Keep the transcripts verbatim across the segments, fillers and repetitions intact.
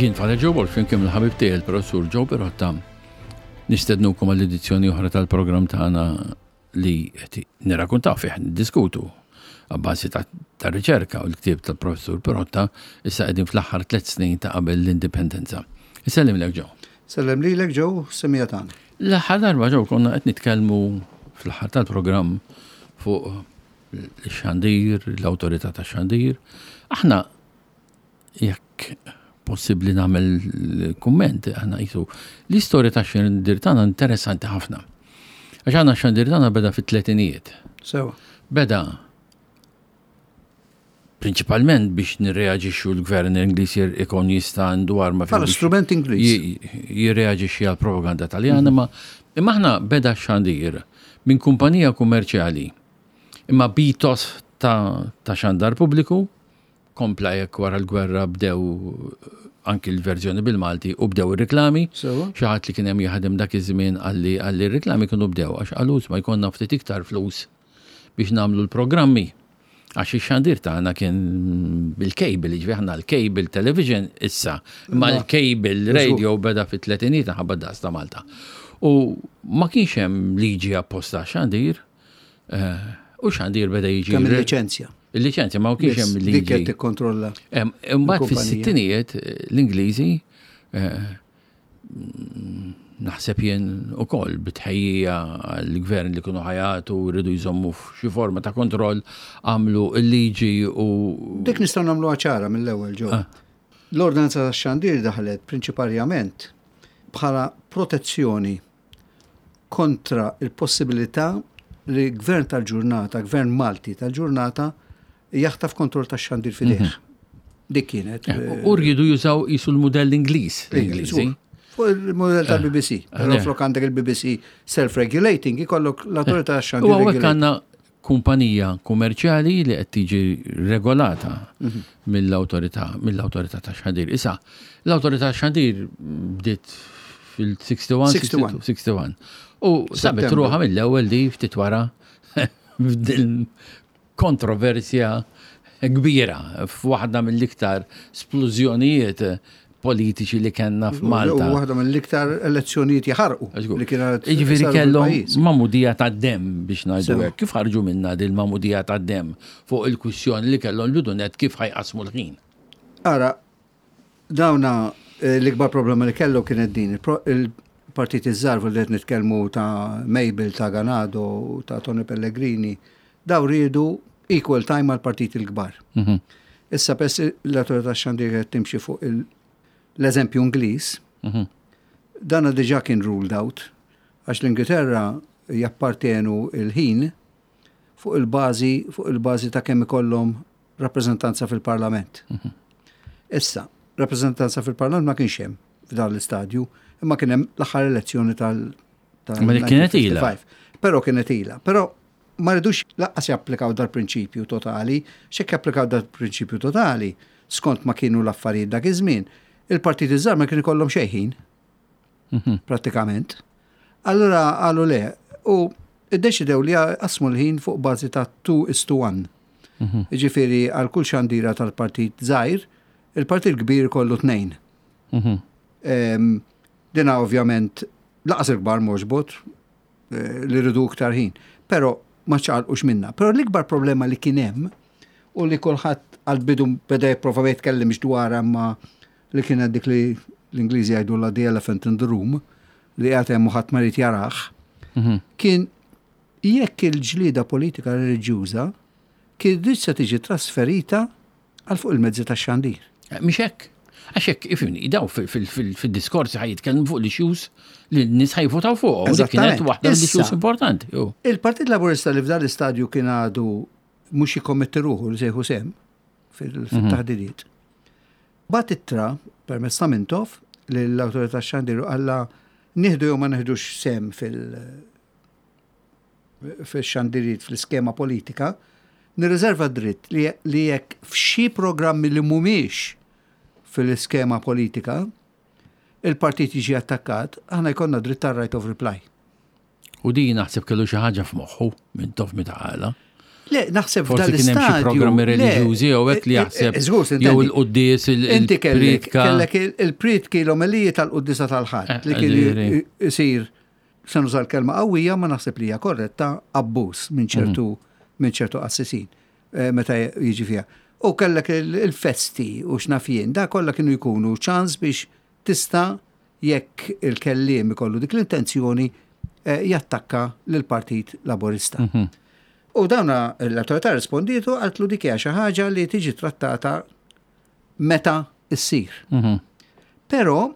Jien Father Joe Borg flimkien mal-ħabib tiegħi il-professur Joe Pirotta nistednukom għall-edizzjoni oħra tal-programm tagħna li qed nirrakkuntaw fih, niddiskutu għabbażi ta' ta' riċerka u l-ktieb tal-professur Pirotta, issa qegħdin fl-aħħar tliet snin ta' qabel l-indipendenza. Isellem lek, Joe. Sellem lilek, Joe, semija tagħna. L-aħħar darba, Joe, konna qed nitkellmu fl-aħħar tal-programm fuq il-xandir, l-awtorità ta' xandir. Aħna, jekk possibbli nagħmel kumment, aħna jisu l-istorja ta' xandir tagħna interessanti ħafna. Għax aħna xandir tagħna beda fit-tletinijiet. Sewa. Beda prinċipalment biex nirreaġixxu l-gvern Ingliż ikun jista' għandu arma Bħala biex strument Ingliż. ji- jirreaġixxi għal propaganda Taljana, ma imma aħna beda xandir minn kumpanija kummerċjali imma b'ethos ta', ta' xandar pubbliku. Kompla jekk wara l-gwerra bdew anki l-verżjoni bil-Malti u bdew ir-reklami. Sewa. Xi ħadd li kien hemm jaħdem dak iż-żmien qalli qalli r-reklami kienu bdew għax qalu ma jkollna ftit iktar flus biex nagħmlu l-programmi. Għax ix-xandir tagħna kien bil-cable, ġifieri aħna l-cable television issa, imma l-cable radio beda fit-tletinijiet ħabba daqs ta' Malta. U ma kienx hemm liġi apposta xandir, eh, u xandir beda jiġi. Kemm il-liċenzja. Il-liċenzja, ma kienx hemm Dik liġi. qed tikkontrolla. Em, Imbagħad Il-kumpanija. fis-sittinijiet eh, l-Ingliżi, eh, mm, naħseb jien ukoll bitħejjija l-gvern li kienu ħajatu rridu jżommu f'xi forma ta' kontroll, għamlu l-liġi u Dik nistgħu nagħmluha ċara mill-ewwel, Joe. Ah. L-ordinanza tax-xandir daħlet prinċiparjament bħala protezzjoni kontra il-possibilità li gvern tal-ġurnata, gvern Malti tal-ġurnata, jaħtaf kontroll tax-xandir f'idejh. Dik kienet. Eh, U rridu jużaw jisu l-modell Ingliż, l-Ingliżi. Żgur. Fuq il-modell tal-B B C. Però le. flok għandek il-B B C self-regulating, ikollok l-autorità U tax-xandir. hawnhekk regulating. għandna kumpanija kummerċjali li qed tiġi regolata mill-awtorità mill-awtorità ta' xandir. Issa, l-awtorità xandir bdiet fil-sitta u sittin, sitta u sittin. sitta u sittin. U sabet Settembru. ruħha mill-ewwel li ftit wara f'dil kontroversja kbira f'waħda mill-iktar splużjonijiet politiċi li kellna f'Malta. U waħda mill-iktar elezzjonijiet jaħarqu Żgur. li kienet Jiġifieri saru kellhom fil-pajjiż. magħmudija ta' dem biex ngħidu Sewa. hekk. Kif ħarġu minna din magħmudija ta' dem fuq il-kwistjoni li kellhom l-bidunet kif ħa jqassmu l-ħin? Ara, dawna eh, l-ikbar problema li kellu kienet din. Il-pro- Il-partit iż-żgħar li qed nitkellmu ta' Mabel, ta' Ganado, ta' Tony Pellegrini, daw riedu equal time għal partit il-kbar. Mhm. Issa pess l-autorità xandir qed timxi fuq il- l-eżempju Ingliż, Mhm. dana diġà kien ruled out, għax l-Ingilterra jappartenu il-ħin fuq il-bażi fuq il-bażi ta' kemm ikollhom rappreżentanza fil-Parlament. Issa, rappreżentanza fil-Parlament ma kienx hemm f'dan l-istadju, imma kien hemm l-aħħar elezzjoni tal tal Ma dik kienet ilha. elfejn u ħamsa u ħamsin. Però kienet ilha. Però ma rridux lanqas japplikaw dal-prinċipju totali, x'hekk japplikaw dal-prinċipju totali, skont ma kienu l-affarijiet dak iż-żmien, il-partiti żgħar ma kien ikollhom xejn ħin Mhm. pratikament. Allura qalu le, u iddeċidew li qasmu l-ħin fuq bażi ta' two is to one. Mhm. Ġifieri għal kull xandira tal-partit żgħir, il-partit kbir kollu tnejn. Mhm. Em, Dina ovvjament lanqas il-kbar m'għoġbot eh, li rridu iktar ħin, però ma ċaqalqux minna. Però l-ikbar problema li kien hemm u li kulħadd għal-bidu beda jipprova ma jitkellimx dwarha, ma li kienet dik li l-Ingliżi jgħidu la the elephant in the room, li qiegħed hemm u ħadd ma jrid jarah, Mhm. kien jekk il-ġlida politika reliġjuża kien se tiġi trasferita għal fuq il-mezzi tax-xandir. Eh, Mhix hekk. Għax hekk, ifhimni, daw fil-diskorsi ħa jitkellmu fuq l-issues li n-nies ħa jivvotaw fuq. U dik kienet Eżattament. waħda mill-issues Issa. importanti. Ju. Il-Partit Laburista, li f'dan l-istadju kien għadu mhux jikkommetti ruħu li se jieħu sehem fil- fil-taħdidiet, bagħat ittra permezz ta' Mintoff lill-awtorità xandir u qalla nieħdu jew ma nieħdux sehem fil- fil-xandiriet fl-iskema politika, nirriserva dritt li, li jekk f'xi programmi li mhumiex fil-iskema politika il-partit jiġi attakkat, aħna jkollna dritt tar right of reply. U di naħseb kellu xi ħaġa f'moħħu Mintoff meta qalha. Le, naħseb Forsi f'dan kien hemm xi l-istadju. programmi le, reliġjużi jew hekk li eh, jaħseb eh, żgur, jew intendi. il-quddies, Inti kellek il-pritka. kellek il- il-pritki l-omeliji tal-quddisa tal-Ħadd Eh, li kien ġifieri. isir, se nuża l-kelma qawwija, ma naħseb li hija korretta, abbuż minn ċertu minn ċertu qassisin eh, meta jiġi fiha. U kellek il- il-festi u x'naf jien, da kollha kienu jkunu ċans biex tista' jekk il-kelliem ikollu dik l-intenzjoni eh, jattakka lill-Partit Laburista. U dawna l-autorità rispondietu, qaltlu dik hija xi ħaġa li tiġi trattata meta issir. Mhm. Però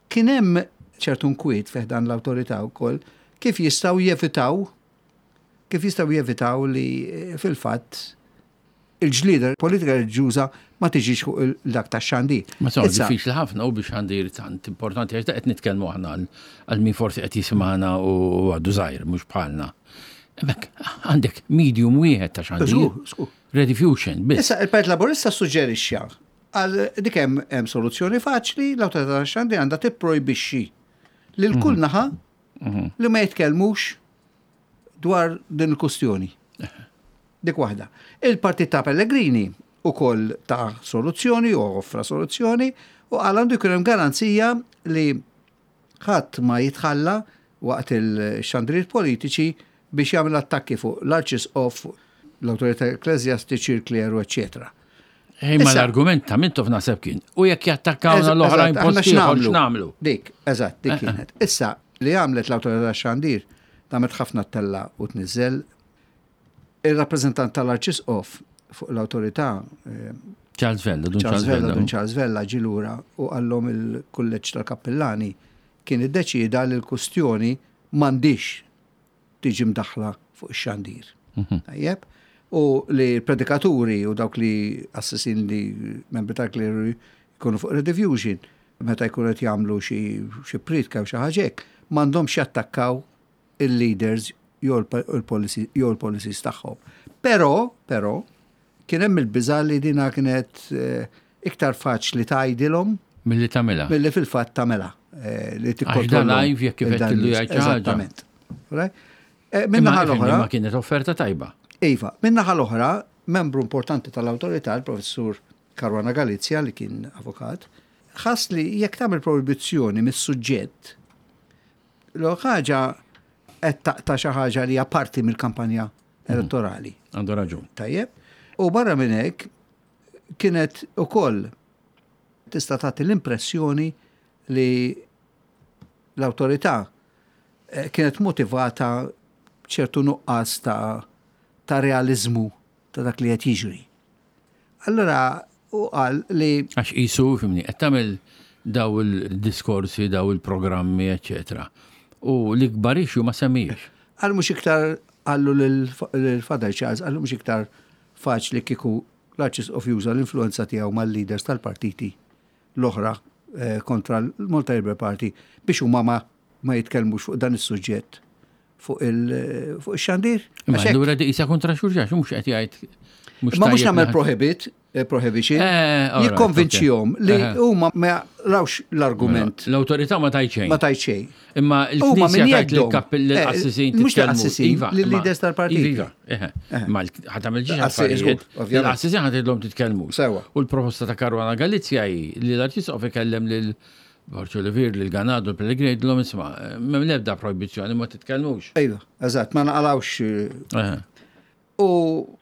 kien hemm ċertu nkwiet fih dan l-awtorità wkoll kif jistgħu jevitaw kif jistgħu jevitaw li eh, fil-fatt il-ġlida politika reliġjuża ma tiġix fuq il- dak tax-xandir. Ma so, Issa, diffiċli ħafna u biex xandir tant importanti, għax da qed nitkellmu aħna għal- għal min forsi qed jisimgħana u għadu żgħir mhux bħalna. Hemmhekk għandek medium wieħed ta' xandir. Żgur, żgur. Rediffusion, biss. Issa, il-Partit Laburista suġġerixxa għal dik hemm hemm soluzzjoni faċli, l-awtorità tax-xandir għandha tipprojbixxi lil kull naħa li ma jitkellmux dwar din il-kustjoni. Dik waħda. Il-Partit ta' Pellegrini ukoll ta soluzzjoni u offra soluzzjoni u qal għandu jkun hemm garanzija li ħadd ma jitħalla waqt il-xandriet politiċi biex jagħmel attakki fuq l-Arċisqof, l-awtorità ekkleżjastiċi, il-kleru, eċċetera. Ej, ma Issa- l-argument ta' Mintoff naħseb kien. U jekk jattakkawna l-oħrajn Eżatt, aħna post ieħor x'nagħmlu? Dik, eżatt, dik kienet. Issa, li għamlet l-awtorità xandir, għamlet ħafna tella u tniżel, il-rappreżentant tal-Arċisqof fuq l-awtorità, eh, Charles Vella, dun Charles Charles Vella, Vella. dun Charles Vella ġie lura u qallhom il-kulleġġ tal-kappillani kien iddeċida li l-kustjoni m'għandix tiġi mdaħla fuq ix-xandir. Tajjeb? U li predikaturi u dawk li qassisin, li membri tal-kleru jkunu fuq Rediffusion, meta jkunu qed jagħmlu xi xi pritka u xi ħaġa hekk, m'għandhomx jattakkaw il-leaders jew il-policy jew il-policies tagħhom. Però, però, kien hemm il-biża' li dina kienet eh, iktar faċli tgħidilhom Milli tagħmilha. milli fil-fatt tagħmilha. eh, Li Għax da tikkontrolla. live jekk kif qed tillu jgħid xi ħaġa. Eżattament. Right? Eh, Imma Min-naħa ifhimni, l-oħra, ma kienet offerta tajba. Iva, min-naħa l-oħra, membru importanti tal-autorità, il-professur Caruana Galizia, li kien avukat, ħass li jekk tagħmel proibizzjoni mis-suġġett, l ħaġa qed taqta' xi ħaġa li hija parti mill-kampanja elettorali. Għandu raġun. Tajjeb. U barra minn hekk kienet ukoll tista' tagħti l-impressjoni li l-awtorità eh, kienet motivata ċertu nuqqas ta' ta' realizmu ta' dak li qed jiġri. Allora u qal li Għax qisu, fhimni, qed tagħmel daw il-diskorsi, daw il-programmi, eccetera. U l-ikbar issue ma semmijiex. Għal mhux iktar qallu lil-Father Charles, qallu mhux iktar faċli kieku l-Arċisqof juża l-influenza tiegħu mal-leaders tal-partiti l-oħra eh, kontra l-Malta Labour Party biex huma ma, ma jitkellmux fuq dan is-suġġett fuq il- fuq ix-xandir. Imma Għax hekk- allura di qisha kontra xulxin, mhux qed jgħid. Ma mhux tajjeb nagħmel li- prohibit, eh, prohibition, Eh, all right, jikkonvinċihom okay. li Eh. huma ma rawx l-argument L-autorità ma tajt xejn. ma tajt xejn. Imma Huma il-Knisja min tajt jeddhom. lill-kappell Eh, l-qassisin mhux titkellmu. lill-qassisin, Iva, lill-leaders imma- tal-partiti. Iva, eħe. Ma ħa tagħmel ġiex Qassi- affarijiet. żgur, ovvjament. Il-qassisin ħa tgħidilhom titkellmu. Sewa. U l-proposta ta' Caruana Galizia hi li l-Arċisqof ikellem lil Borg Olivier, lil Ganado, l-Pellegrini, jgħidilhom isma' m'hemm l-ebda proibizzjoni, ma titkellmux. Iva, eżatt, ma naqalawx eh, Eħe. U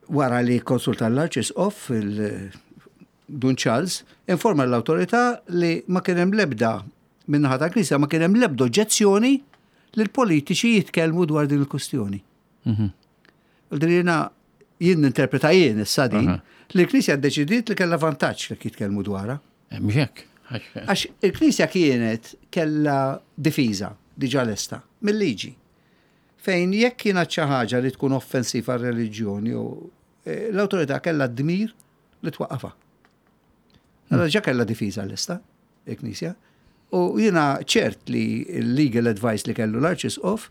wara li konsulta l-Arċisqof, il-Dun Charles, informa l-autorità li ma kien hemm lebda min-naħa ta' Knisja ma kien hemm lebda oġġezzjoni li l-politiċi jitkellmu dwar din il-kustjoni. U din jiena jien ninterpreta jien issa din Aha. li l-Knisja ddeċidiet li kellha vantaġġ li jitkellmu dwarha. Eh, Mhux hekk. Għax- Għax il-Knisja kienet kella difiża diġà lesta mill-liġi. Fejn jekk kienet xi ħaġa li tkun offensiva għar-reliġjoni u eh, l-awtorità kellha d-dmir li twaqqafha. Allora ġa kellha difiża lesta il-Knisja. U jiena ċert li l-legal advice li kellu l-Arċisqof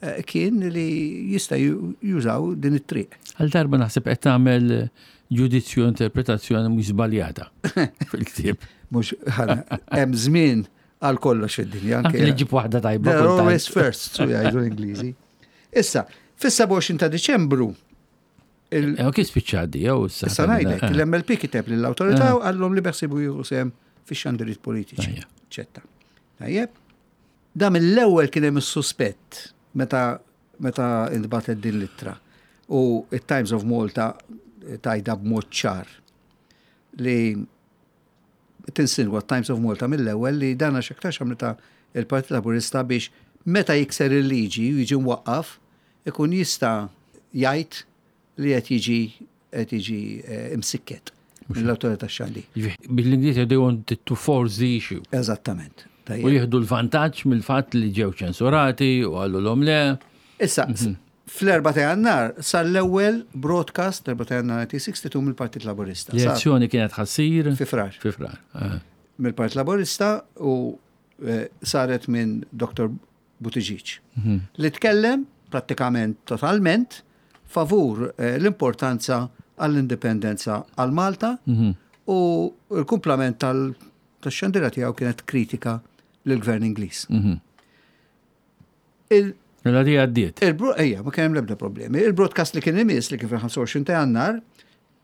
eh, kien li jista' ju- jużaw din it-triq. Għal darba naħseb qed tagħmel ġudizzju, interpretazzjoni mhux żbaljata fil-ktieb. Mhux hemm żmien għal kollox fid-dinja. Anke li ġib waħda tajba. They're kultant. always first, su jgħidu l-Ingliżi. Issa, fis-sebgħa u għoxrin ta' Diċembru Il- Eh, Kif spiċċa jew issa? Issa ngħidlek, l-M L P kiteb lill-awtorità u qallhom li beħsiebu jieħu sehem fix-xandiriet politiċi. Tajjeb. Ċetta. Tajjeb. Da mill-ewwel kien hemm is-suspett meta meta intbagħtet din l-ittra. U it-Times of Malta tgħidha b'mod ċar li tinsinwa Times of Malta mill-ewwel li dana x'aktarx għamlitha il-Partit Laburista biex meta jikser il-liġi u jiġi mwaqqaf ikun jista' jgħid li qed jiġi qed jiġi eh, imsikket mill-awtorità xandir. Bil-Ingliż they wanted to force the issue. Eżattament. U Tajjeb. jieħdu l-vantaġġ mill-fatt li ġew ċensurati u qalulhom le. Issa, fl-erba' ta' Jannar sar l-ewwel broadcast l-erba' ta' Jannar elf disa' mija u sitta u sittin mill-Partit Laburista. Sar L-elezzjoni kienet ħa ssir fi Frar. Fi Frar. eh. Mill-Partit Laburista u eh, saret minn Doktor Buttigieg, li tkellem prattikament totalment favur eh, l-importanza għall-indipendenza għal Malta u l-kumplament tal-xandira tiegħu kienet kritika lill-gvern Ingliż. Il- Mela di għaddiet. Il-bro, ejja, ma kien hemm l-ebda problemi. Il-broadcast li kien imiss, li kien fil-ħamsa u għoxrin ta' Jannar,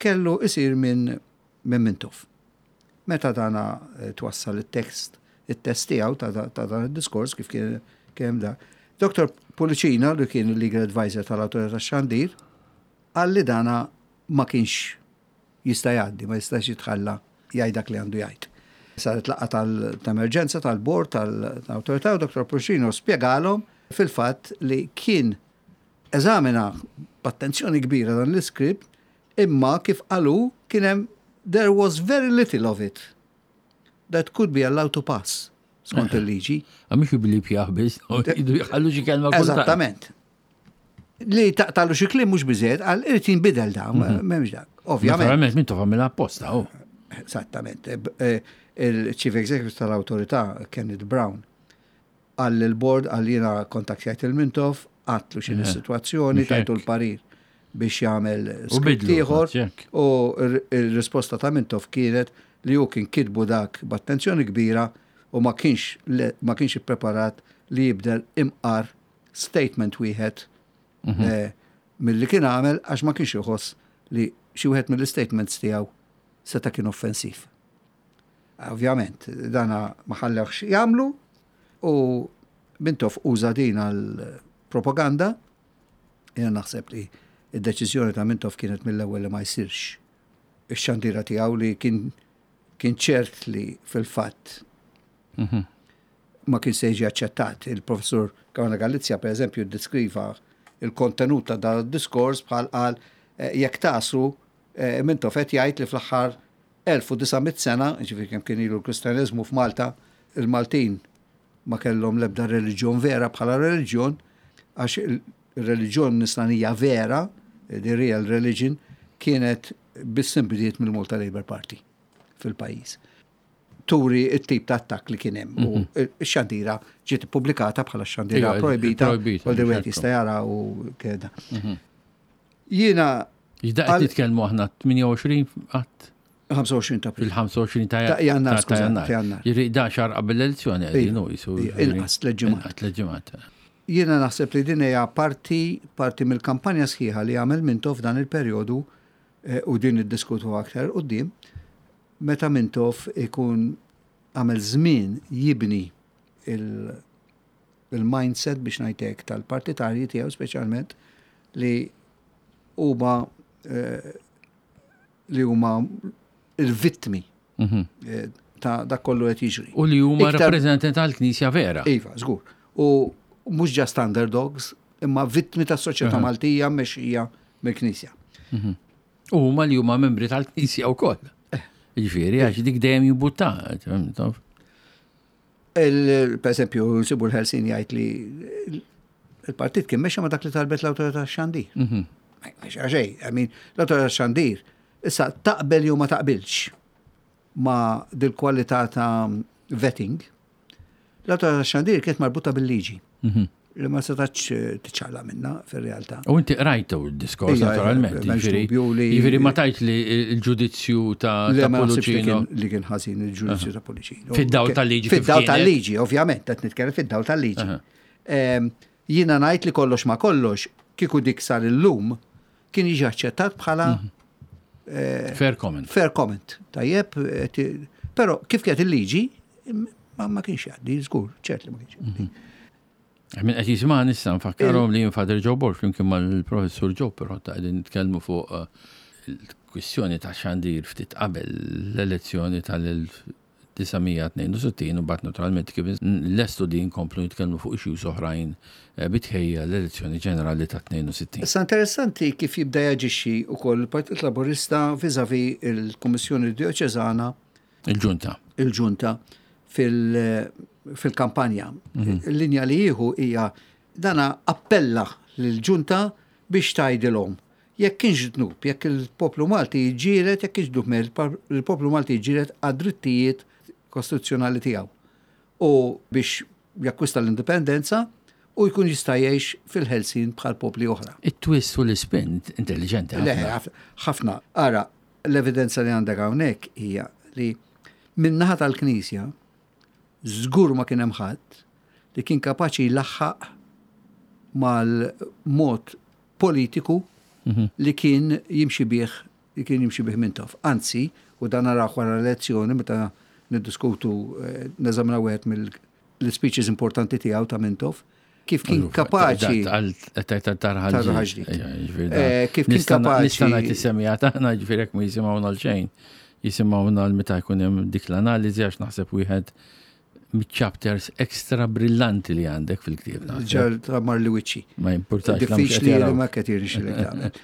kellu isir minn minn Mintoff. Meta dana eh, twassal il-tekst, il-test tiegħu ta' ta' dan il-diskors kif kien kien da. Doktor Pullicino, li kien il-legal advisor tal-Awtorità Xandir, qal li dana ma kienx jista' jgħaddi, ma jistax jitħalla jgħid dak li għandu jgħid. Saret laqgħa tal-emerġenza tal-bord tal-awtorità u Doktor Pullicino spjegalhom fil-fatt li kien eżamina b'attenzjoni kbira dan l-iskript, imma kif qalu kien hemm there was very little of it that could be allowed to pass skont il-liġi. Għamix billi pjaħ biss, jidu jħallu xi kelma kultant. Eżattament. Li taqtalu xi kliem mhux biżejjed, għal irid jinbidel da, m'hemmx dak. Ovvjament. Naturalment, Mintoff għamilha apposta, oh. Esattament. Eh, eh, Il-Chief Executive tal-Autorità, Kenneth Brown, qal il-board, qal jiena kontaktjajt il-Mintoff, għedtlu x'inhi s-situazzjoni, Mhux tajtu hekk. l-parir biex jagħmel U script bidlu, ieħor. hekk. U r- il-risposta ta' Mintoff kienet li hu kien kitbu dak b'attenzjoni kbira u ma kienx le- ma kienx ippreparat li jibdel imqar statement wieħed eh, milli kien għamel, għax ma kienx iħoss li xi wieħed mill-statements tiegħu seta' kien offensiv. Ovvjament, dana ma ħallewx jagħmlu u Mintoff uża din għal propaganda. Jiena naħseb li id-deċiżjoni ta' Mintoff kienet mill-ewwel li ma jsirx ix-xandira tiegħu, li kien kien ċert li fil-fatt ma kien se jiġi aċċettat. Il-professur Caruana Galizia, per eżempju, deskriva il-kontenut ta' dan id-diskors bħal qal eh, jekk tasu eh, Mintoff qed jgħid li fl-aħħar elf u disa' mitt sena, ġifieri kemm kien ilu l-Kristjaneżmu f'Malta, il-Maltin ma kellhom l-ebda reliġjon vera bħala reliġjon, għax il-reliġjon nisranija vera, the real religion, kienet biss inbdiet mill-Malta Labour Party fil-pajjiż. Turi it-tip ta' attakk li kien hemm. U x-xandira ġiet ippubblikata bħala xandira Iva, projbita, projbita, u li wieħed ċertu. jista' jara u keda. Jiena Ġda Għal- qed nitkellmu aħna tmienja u għoxrin qatt ħamsa u għoxrin ta' April. fil-ħamsa u għoxrin ta' Ta' Jannar, ta' skuża, Jannar. ta' Jannar. Jiġifieri da xahar qabel l-elezzjoni qegħdin u jisu. Iva, inqas tliet ġimgħat. Inqas tliet ġimgħat. Jiena naħseb li din hija parti parti mill-kampanja sħiħa li għamel Mintoff f'dan il-perjodu eh, u din iddiskutu aktar quddiem, meta Mintoff ikun għamel żmien jibni il- il-mindset biex ngħidlek tal-partitarji tiegħu speċjalment li huma eh, li huma il-vittmi Mhm. eh, ta' dak kollu qed jiġri. U li huma Iktar- rappreżentanti tal-Knisja vera. Iva, żgur. U mhux just underdogs, imma vittmi tas soċjetà Aha. Maltija mexxija mill-Knisja. U huma li huma membri tal-Knisja wkoll. Eh. Jiġifieri għax dik dejjem jibbutta. Il- Per eżempju, nsibu l-Ħelsin jgħid li il-partit kien mexa ma dak li talbet l-awtorità xandir. Mhm. Mexa xejn, I mean, l-awtorità xandir issa taqbel jew ma taqbilx ma dil-kwalità ta' vetting, l-awtorità xandir kienet marbuta bil-liġi Mhm. li ma setax tiċċaqlaq minna fil-realtà. U inti qrajtu d-diskors Ija, naturalment. m'hemmx Jiġifieri dubju li- jiġifieri ma tajt li l-ġudizzju ta' Le, ta' ma naħsibx li Pullicino. kien- li kien ħażin il-ġudizzju ta' Pullicino. Fid-dawl tal-liġi kif Fid-dawl kienet. tal-liġi, ovvjament, qed nitkellem fid-dawl tal-liġi. Aha. Em, Jiena ngħid li kollox ma kollox, kieku dik sar illum, kien jiġi aċċettat bħala Fair comment. Fair comment. Tajjeb, eh, però kif kienet il-liġi, ma, ma kienx jgħaddi, żgur, ċert li ma kienx jgħaddi. Min qed jisma' nista' nfakkarhom li jien Father Joe Borg flimkien mal-Professur Joe però ta' qegħdin nitkellmu fuq eh, il-kwistjoni ta' xandir ftit qabel l-elezzjoni tal-elf disa' mija tnejn u sittin u mbagħad naturalment kif lestu din komplu nitkellmu fuq issues oħrajn eh, bi tħejjija l-elezzjoni ġenerali ta' tnejn u sittin. Issa interessanti kif jibda jaġixxi wkoll il-Partit Laburista vis-à-vis il-Kummissjoni Dioċeżana. Il-ġunta. Il-ġunta fil-kampanja. Il-linja li jieħu hija dana appella lill-ġunta biex tgħidilhom jekk kienx dnub, jekk il-poplu Malti jiġġieled, jekk kienx dnub il-poplu Malti jiġġieled għad-drittijiet kostituzzjonali tiegħu u biex jakkwista l-indipendenza u jkun jista' jgħix fil-ħelsien bħal popli oħra. It-twist u l-spin intelligenti. Le, ħafna. Ara, l-evidenza li għandek hawnhekk hija li min-naħa tal-Knisja żgur ma kien hemm ħadd li kien kapaċi jlaħħaq mal-mod politiku li kien jimxi bih li kien jimxi bih Mintoff. Anzi, u dan naraw wara l-elezzjoni meta niddiskutu, eh, neżaminaw wieħed mill-speeches importanti tiegħu ta' Mintoff, kif kien kapaċi. Tarħal ġdid. Eh, kif kien kapaċi. Nista' ngħid is-semmiegħa tagħna, ġifieri jekk ma jisimgħuna l-xejn, jisimgħuna l meta jkun hemm dik l-analiżi, għax naħseb wieħed mit-chapters extra brillanti li għandek fil-ktieb. Ġar ta' Marli Wiċċi. Ma importax. Diffiċli li ma qed jirnexxilek tagħmel.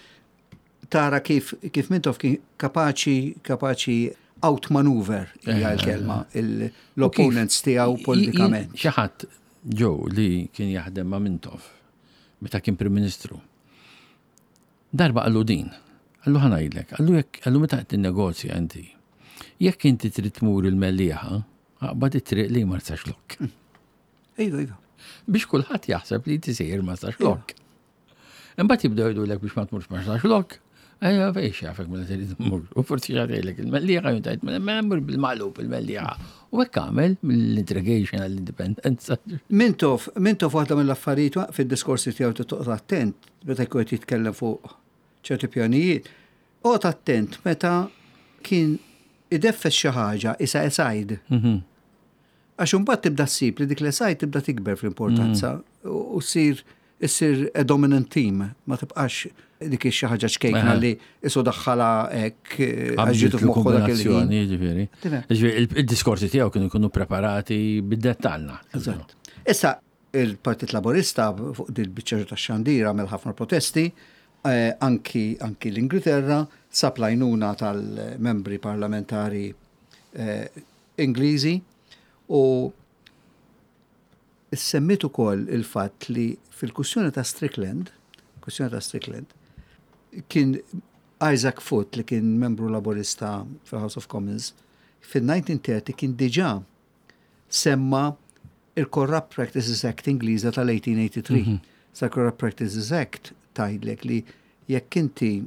Tara kif kif Mintoff kien kapaċi kapaċi outmaneuver, hija l-kelma, l-opponents tiegħu politikament. Xi ħadd Joe li kien jaħdem ma' Mintoff meta kien Prim Ministru. Darba qallu din, qallu, "Ħa ngħidlek," qallu, "jekk," qallu, "meta qed tinnegozja inti, jekk inti trid tmur il-Mellieħa, aqbad it-triq li Marsaxlokk." Iva, iva. Biex kulħadd jaħseb li inti sejjer Marsaxlokk. Imbagħad jibdew jgħidulek biex ma tmurx Marsaxlokk, ejja, fejn jafek mela trid tmur. U forsi jgħidlek il-Mellieħa, jgħid mela mur bil-maqlub il-Mellieħa. U hekk għamel mill-integration għall-indipendenza. Mintoff, Mintoff waħda mill-affarijiet fid-diskorsi tiegħu toqgħod attent meta jkun qed jitkellem fuq ċerti pjanijiet. Oqgħod attent meta kien ideffes xi ħaġa isa aside. Għax imbagħad tibda ssib li dik l-aside tibda tikber fl-importanza u ssir issir a dominant theme, ma tibqax dik xi ħaġa ċkejkna li isu daħħala hekk għax ġietu f'moħħu dak il-ħin. Ġifieri. Ġifieri il-diskorsi tiegħu kienu jkunu preparati bid-dettall. Eżatt. Issa il-Partit Laburista fuq dil-biċċa ta' xandira għamel ħafna protesti, eh, anki, anki l-Ingilterra sab l-għajnuna tal-membri parlamentari eh, Ingliżi u semmit ukoll il-fatt li fil-kwistjoni ta' Strickland, kwistjoni ta' Strickland, kien Isaac Foot li kien membru laburista fil-House of Commons, fil-elf disa' mija u tletin kien diġà semma il-Corrupt Practices Act Ingliża tal-elf disa' mija tmienja u tmenin. Mm -hmm. Sa Corrupt Practices Act tgħidlek li jekk inti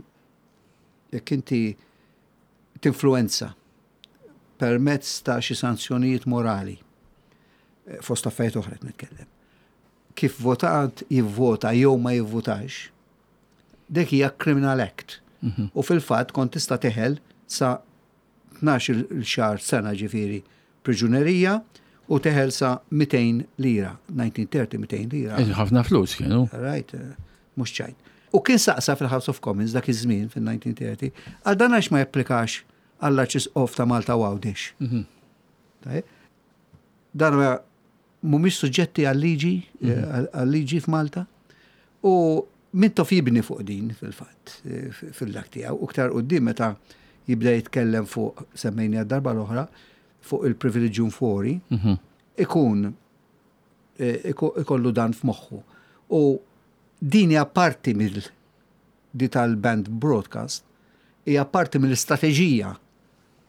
jekk inti tinfluenza permezz ta' xi sanzjonijiet morali, eh, fost affarijiet oħra qed nitkellem, kif votant jivvota jew ma jivvotax, dik hija criminal act. Mm -hmm. U fil-fatt kont tista' teħel sa tnax-il xahar, sena ġifieri priġunerija u teħel sa mitejn lira, elf disa' mija tletin mitejn lira. Ħafna flus kienu. Right, eh, mhux ċajt. U kien saqsa fil-House of Commons dak iż-żmien fil-elf disa' mija tletin, għal dan għax ma japplikax għall-Arċisqof ta' Malta u Għawdex. Tajjeb? Dan ma mhumiex suġġetti għal-liġi, eh, għal-liġi f'Malta. U Mintoff jibni fuq din fil-fatt, eh, fil-dak tiegħu, u iktar quddiem meta jibda jitkellem fuq, semmejni darba l-oħra, fuq il-privilegium fori, ikun eh, ikollu dan f'moħħu. U din hija parti mill di tal-banned broadcast, hija parti mill-istrateġija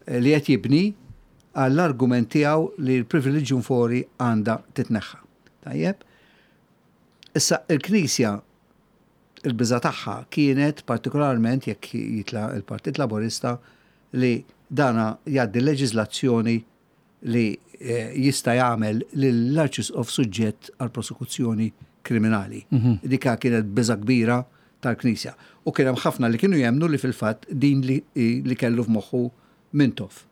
eh, li qed jibni għall-argument tiegħu li l-privilegium fori għandha titneħħa. Tajjeb? Issa il-Knisja il-biża tagħha kienet partikolarment jekk jitla il-Partit Laburista li dana jgħaddi leġiżlazzjoni li eh, jista' jagħmel lill-Arċisqof suġġett għal prosekuzzjoni kriminali. Mm -hmm. Dika kienet biża kbira. tal-Knisja. U kien hemm ħafna li kienu jemnu li fil-fatt din li, li kellu f'moħħu Mintoff.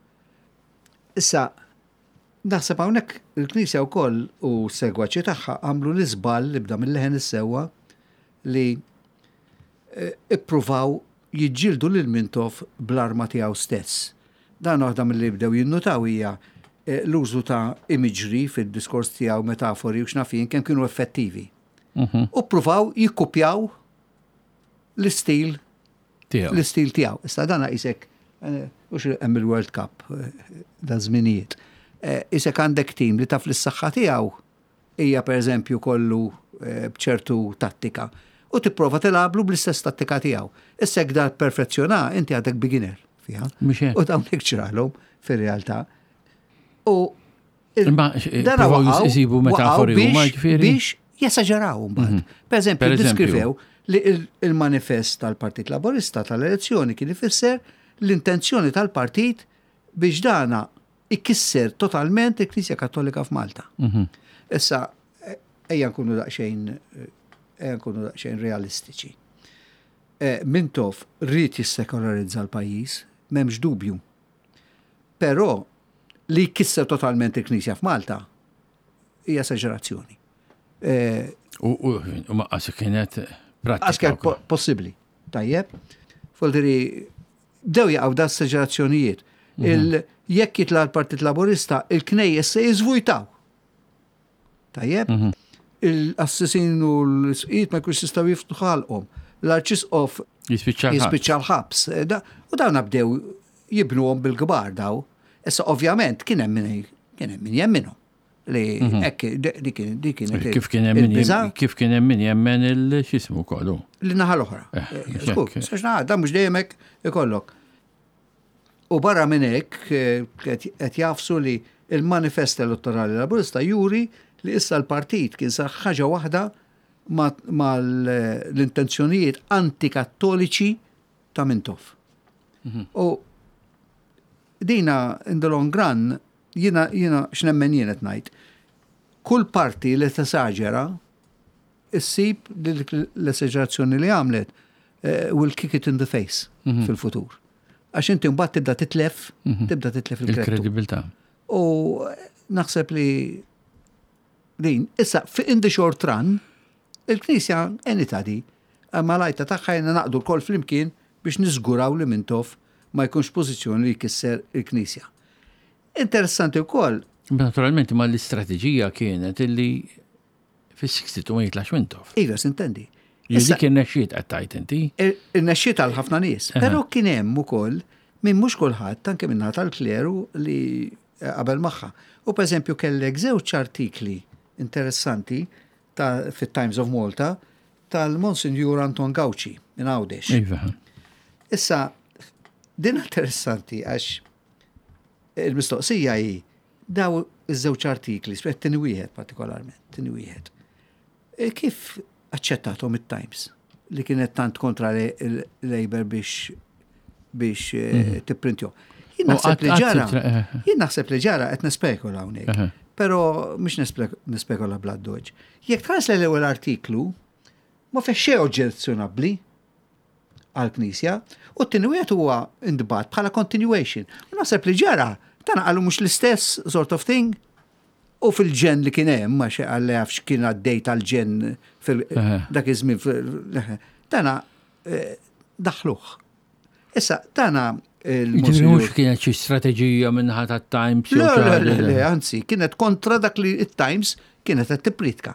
Issa, naħseb hawnhekk il-Knisja wkoll u segwaċi tagħha għamlu l-iżball li bda mill-Leħen is-Sewwa li eh, ippruvaw jiġġieldu lil Mintoff bl-arma tiegħu stess. Dan waħda mill-li bdew jinnutaw hija eh, l-użu ta' imagery fid-diskors tiegħu, metafori u x'naf jien, kemm kienu effettivi. Mhm. U ppruvaw jikkupjaw l-istil Tiegħu. l-istil tiegħu. Issa dana isek u hemm il-World Cup eh, da żminijiet. Eh, Isek għandek tim li taf l-saħħa tiegħu hija, pereżempju, kollu eh, b'ċertu tattika u tipprova tilgħablu bl-istess tattika tiegħu. Issa jekk da perfezzjona, inti għadek beginner fiha. Mhux hekk. U dawn hekk ġralhom fir-realtà. U il- Imma, eh, dana provaw waqgħu- jisibu metafori waqgħu huma, biex- ġifieri? biex jesaġeraw mbagħad. Per eżempju, Per eżempju. diskrivew li il- il-manifest tal-Partit Laborista tal-elezzjoni kien ifisser l-intenzjoni tal-partit biex dana ikisser totalment il-Knisja Kattolika f'Malta. Mhm. Issa, eh, ejja nkunu daqsxejn eh, ejja nkunu daqsxejn realistiċi. Eh, Mintoff ried jissekolarizza l-pajjiż, m'hemmx dubju. Però li jkisser totalment il-Knisja f'Malta hija esaġerazzjoni. Eh, U u- u ma qas kienet pratika. Għax kien wkoll. po- possibbli. Tajjeb. Foldiri, bdew jaqgħu da esaġerazzjonijiet. Il- Jekk jitla l-Partit Laborista, il-knejjes se jiżvujtaw. Tajjeb. Il-qassisin u l-isqfijiet ma jkunx jistgħu jiftħu ħalqhom. L-arċisqof Jispiċċa l-ħabs. jispiċċa l-ħabs. Eh, da- U dawn bdew jibnuhom bil-kbar daw. Issa ovvjament kien hemm min kien hemm min jemminhom li hekk di kien di kienet Kif kien hemm min il-biża' jem- kif kien hemm min jemmen il-xismu kollu. Li naħa l-oħra. Eh, Eh, mhux Skur, hekk. sax naħa, dan mhux dejjem hekk ikollok. U barra minn hekk eh, qed qed jafsu li il-manifest elettorali laburista juri li issa l-partit kien sar ħaġa waħda mal-intenzjonijiet antikattoliċi ta' Mintoff. U dina in the long run, jina, jina x'nemmen jien qed ngħid. Kull parti li tesaġera issib li l-esaġerazzjoni li għamlet eh, will kick it in the face fil-futur. Għax inti mbagħad tibda titlef, tibda titlef il-kreditu. Il-kredibilità. U naħseb li din, issa, fi in the short run, il-Knisja enita di, imma l-għajta tagħha jena naqdu l-kol flimkien biex niżguraw li Mintoff ma jkunx pożizzjoni li jkisser il-Knisja. Interessanti wkoll, Naturalment, ma l-istrateġija kienet illi fis-sixty-two ma jitlax Mintoff. Iva, sintendi. Dik kien nexxiet qed tajt inti. Irnexxiet għal ħafna nies, però kien hemm ukoll minn mhux kulħadd, anke minn tal-kleru, li eh, qabel magħha. U pereżempju kellek żewġ artikli interessanti ta' fit-Times of Malta tal-Monsignor Anton Gauci minn Għawdex. Iva. Issa, din interessanti għax il-mistoqsija hi daw iż-żewġ artikli, spet tieni wieħed partikolarment, tieni wieħed. E kif aċċettathom it-Times li kienet tant kontra l-Labour biex biex eh, tipprintjhom? Jien U naħseb li qatt- ġara, qatt- eh. jien naħseb li ġara, qed nespekula hawnhekk. Eħe. Però mhux nespekula bla doġ. Jekk tħares l-ewwel artiklu, ma fih xejn oġġezzjonabbli għal-Knisja, u t-tieni wieħed huwa intbagħat bħala continuation. U naħseb li ġara, dan qalu mhux l-istess sort of thing. U fil-ġen li kien hemm, ma xe għalli għaf x'kien għaddej tal-ġen fil Eħe. dak iż-żmien fil- dana eh, daħluh. Issa, dana Ġifieri il-Monsignor mhux kienet xi strateġija minnaħa tat-Times jew Le, xi le, ħaġa. le, le, anzi, kienet kontra dak li il-Times kienet qed tippritka.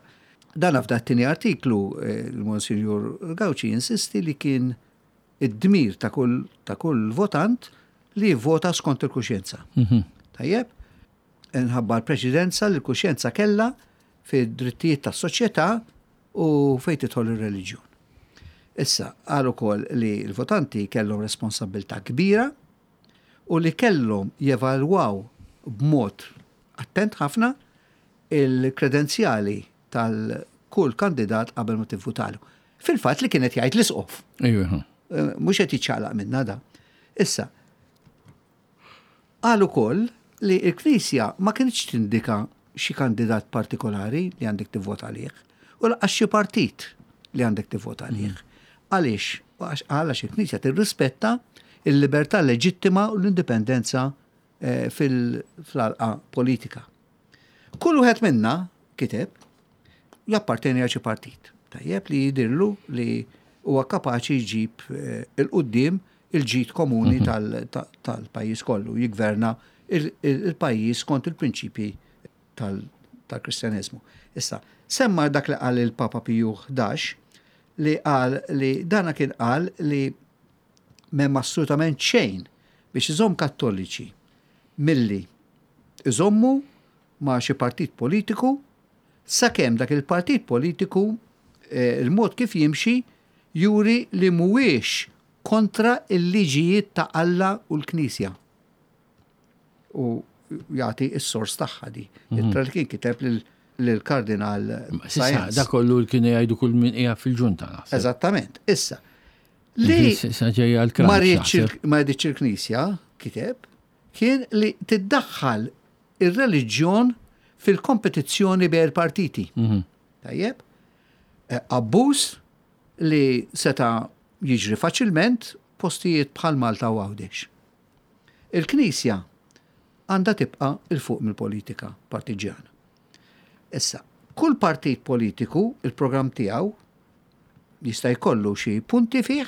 Dan f'dat tieni artiklu eh, il-Monsignor Gauci insisti li kien id-dmir ta' kull ta' kull votant li jivvota skont il-kuxjenza. Mhm. Tajjeb, nħabba l-preċedenza li l-kuxjenza kella fid-drittijiet tas-soċjetà u fejn tidħol ir-reliġjon. Issa, qal ukoll li l-votanti kellhom responsabilità kbira u li kellhom jevalwaw b'mod attent ħafna il-kredenzjali tal-kull kandidat qabel ma tivvutalu. Fil-fatt li kienet jgħid l-isqof. Iva. Eh, Mhux qed jiċċaqlaq minna da. Issa, qal ukoll li l-Knisja ma kienx tindika xi kandidat partikolari li għandek tivvota għalih u lanqas xi partit li għandek tivvota għalih. Għaliex? Għax għalax il-Knisja tirrispetta il-libertà leġittima u l-indipendenza eh, fil-għalqa politika. Kull wieħed minna kiteb japparteni għal xi partit. Tajjeb, li jidirlu li huwa kapaċi jġib eh, il-qudiem il-ġid komuni tal- ta- tal-pajjiż kollu, jigverna il- il- il-pajjiż kont il-prinċipji tal- tal-Kristjaneżmu. Issa, semma dak li qal il-Papa Piju ħdax, li qal li dana kien qal li m'hemm assolutament xejn biex iżomm Kattoliċi milli iżommu ma' xi partit politiku sakemm dak il-partit politiku eh, il-mod kif jimxi juri li mhuwiex kontra il-liġijiet ta' Alla u l-Knisja. U jagħti s-sors tagħha di. Ittra li kien kiteb lil- lill-Kardinal Sissa, Sáenz. da kollu li kienu jgħidu kull min qiegħed fil-ġunta, naħseb. Eżattament. Issa, li Issa ġejja l ma riedx il- ma riedx il-Knisja, kiteb, kien li tiddaħħal ir-reliġjon fil-kompetizzjoni bejn il-partiti. Tajjeb? Eh, Abbuż li seta jiġri faċilment postijiet bħal Malta u Għawdex. Il-Knisja għandha tibqa' 'il fuq mill-politika partiġjana. Issa, kull partit politiku, il-programm tiegħu jista' jkollu xi punti fih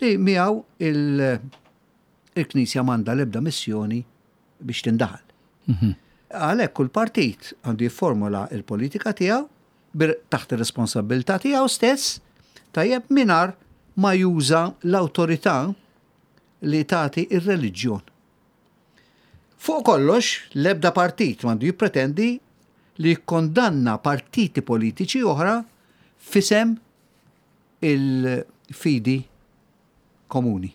li miegħu il- il-Knisja m'għandha l-ebda missjoni biex tindaħal. Għalhekk kull partit għandu jifformula il-politika tiegħu bir- taħt ir-responsabilità tiegħu stess, tajjeb, mingħajr ma juża l-awtorità li tagħti ir-reliġjon. Fuq kollox, l-ebda partit m'għandu jippretendi li jikkondanna partiti politiċi oħra f'isem il-fidi komuni.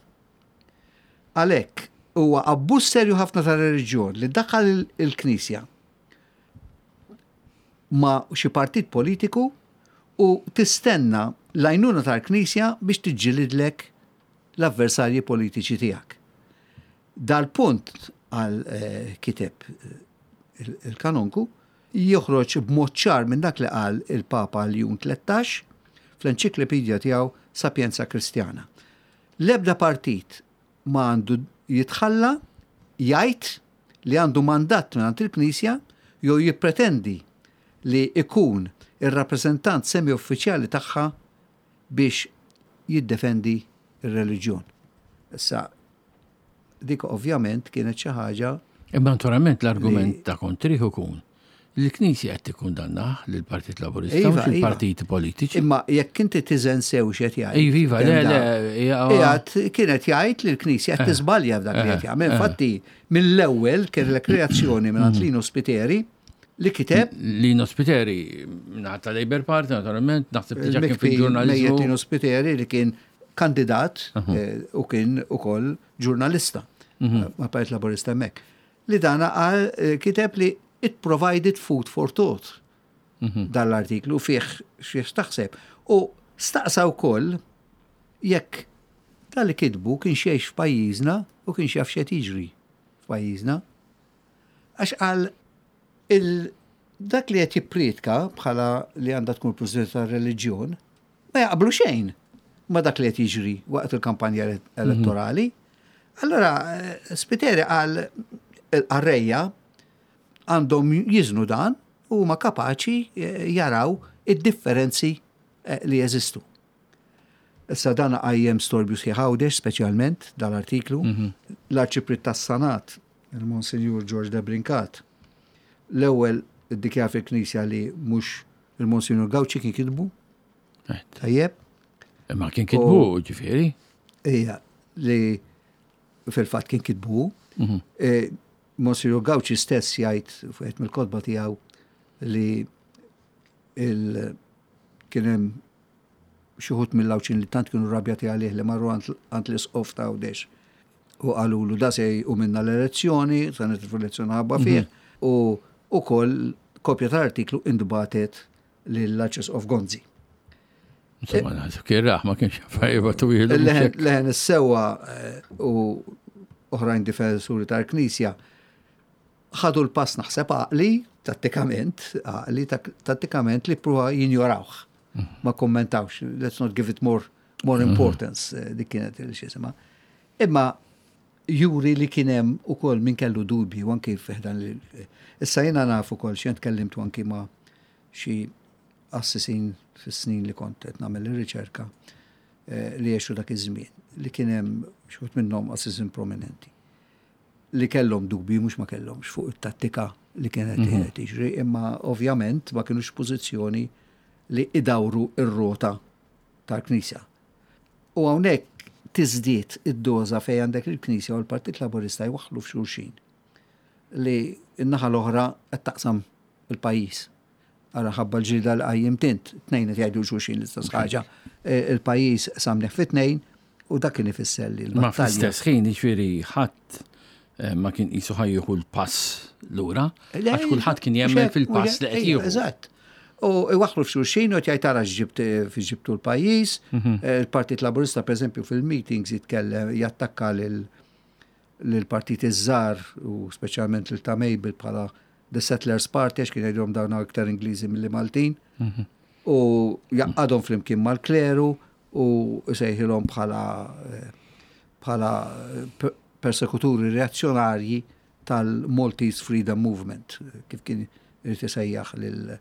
Għalhekk, huwa abbuż serju ħafna tar-reliġjon li daħal il- il-Knisja ma' xi partit politiku u tistenna l-għajnuna tal-Knisja biex tiġġilidlek l-avversarji politiċi tiegħek. Dal-punt għal eh, kiteb eh, il- il-kanonku joħroġ b'mod ċar minn dak li qal il-Papa Ljun tlettax fl-enċiklopedija tiegħu Sapienza Kristjana. L-ebda partit ma għandu jitħalla jgħid li għandu mandat minn il-Knisja jew jippretendi li ikun ir-rappreżentant semi-uffiċjali tagħha biex jiddefendi ir-reliġjon. Issa, dik ovvjament kienet xi ħaġa Imma naturalment l-argument ta' kontrih ikun li l-Knisja qed tikkundannah lill-Partit Laburista, Iva, mhux iva. il-partiti politiċi. Imma jekk inti tiżen sew x'qed jgħid. Iva, iva, le, le, hija- Qiegħed kienet jgħid li l-Knisja qed tiżbalja f'dak li qed jagħmel. eh. Infatti, mill-ewwel kien reazzjoni minn Lino Spiteri li kiteb Lino Spiteri, ta' Labour Party, naturalment, naħseb diġà kien il-mikfi fil-ġurnalizmu. mejjet Lino Spiteri li kien kandidat eh, u kien ukoll ġurnalista ma' Partit Laburista hemmhekk. Li dana qal eh, kiteb li it provided food for thought dan l-artiklu fih fih taħseb. U staqsa wkoll jekk dan li kitbu kien jgħix f'pajjiżna u kien jaf x'qed jiġri f'pajjiżna. Għax qal il dak li qed jippriedka bħala li għandha tkun president tar-reliġjon ma jaqblu xejn ma dak li qed jiġri waqt il-kampanja elettorali. Allora, eh, Spiteri qal il-qarrejja għandhom jiżnu dan u ma kapaċi eh, jaraw id-differenzi eh, li jeżistu. Issa dan qajjem storbju sħiħ Għawdex, speċjalment dal-artiklu. L-Arċipriet tas-Sanat, il-Monsinjur George de Brincat, l-ewwel iddikjara fil-Knisja li mhux il-Monsinjur Gauci kien kitbu, Eh, tajjeb, Imma kien kitbu, ġifieri. Ija, li fil-fatt kien kitbu. Eh, Monsignor Gauci stess jgħid fuq mill-kotba tiegħu li il kien hemm xi wħud mill-Għawdxin li tant kienu rabjati għalih li marru għand għand l-isqof ta' Għawdex u qalulu da se u minna l-elezzjoni, sa nitilfu l-elezzjoni ħabba fih, u ukoll kopja tal-artiklu intbagħtet lill-Arċisqof Gonzi. Insomma, naħseb kien raħ, ma kienx affarijiet twil. Leħen Leħen is-Sewwa eh, u oħrajn difensuri tal-Knisja ħadu l-pass, naħseb għaqli, tattikament, għaqli tattikament li pruva jinjorawh. Ma kommentawx, let's not give it more More importance, eh, dik kienet il-xisima. Imma juri li kien hemm ukoll min kellu dubji u anki fi ħdan li. Issa jiena naf ukoll xi tkellimtu anki ma' xi qassisin fis-snin li kont qed nagħmel ir-riċerka eh, li għexu dak iż-żmien, li kien hemm xi wħud minnhom qassisin prominenti li kellhom dubji, mhux ma kellhomx, fuq it-tattika li kienet mm tiġri, imma ovvjament ma kienux pożizzjoni li idawru ir-rota tal-Knisja. U hawnhekk tiżdied id-doża fejn għandek il-Knisja u l-Partit Laburista jwaħħlu f'xulxin li n-naħa l-oħra qed taqsam il-pajjiż. Għara ħabba l-ġilda li qajjimt int, tnejn qed jgħidu xulxin l-istess ħaġa. E, Il-pajjiż samneħ fi tnejn u dak kien ifisser li Ma l-battalja. fl-istess ħin, ġifieri, ħadd eh, ma kien qisu ħa jieħu l-pass lura, għax kulħadd kien jemmen fil-pass li qed jieħu. Eżatt. U iwaħħlu f'xulxin u jgħid tara x'ġibt fi ġibtu l-pajjiż. Mhm. Eh, Il-Partit Laburista, per eżempju, fil-meetings jitkellem, jattakka lil l-partit iż-żgħar u speċjalment lil ta' Mabel bħala The Settlers Party, għax kien jgħidhom dawn iktar Ingliżi milli Maltin. Mhm. U jgħaqqadhom flimkien mal-kleru u sejħilhom bħala eh, bħala eh, persekuturi reazzjonarji tal-Maltese Freedom Movement, kif kien irid isejjaħ lil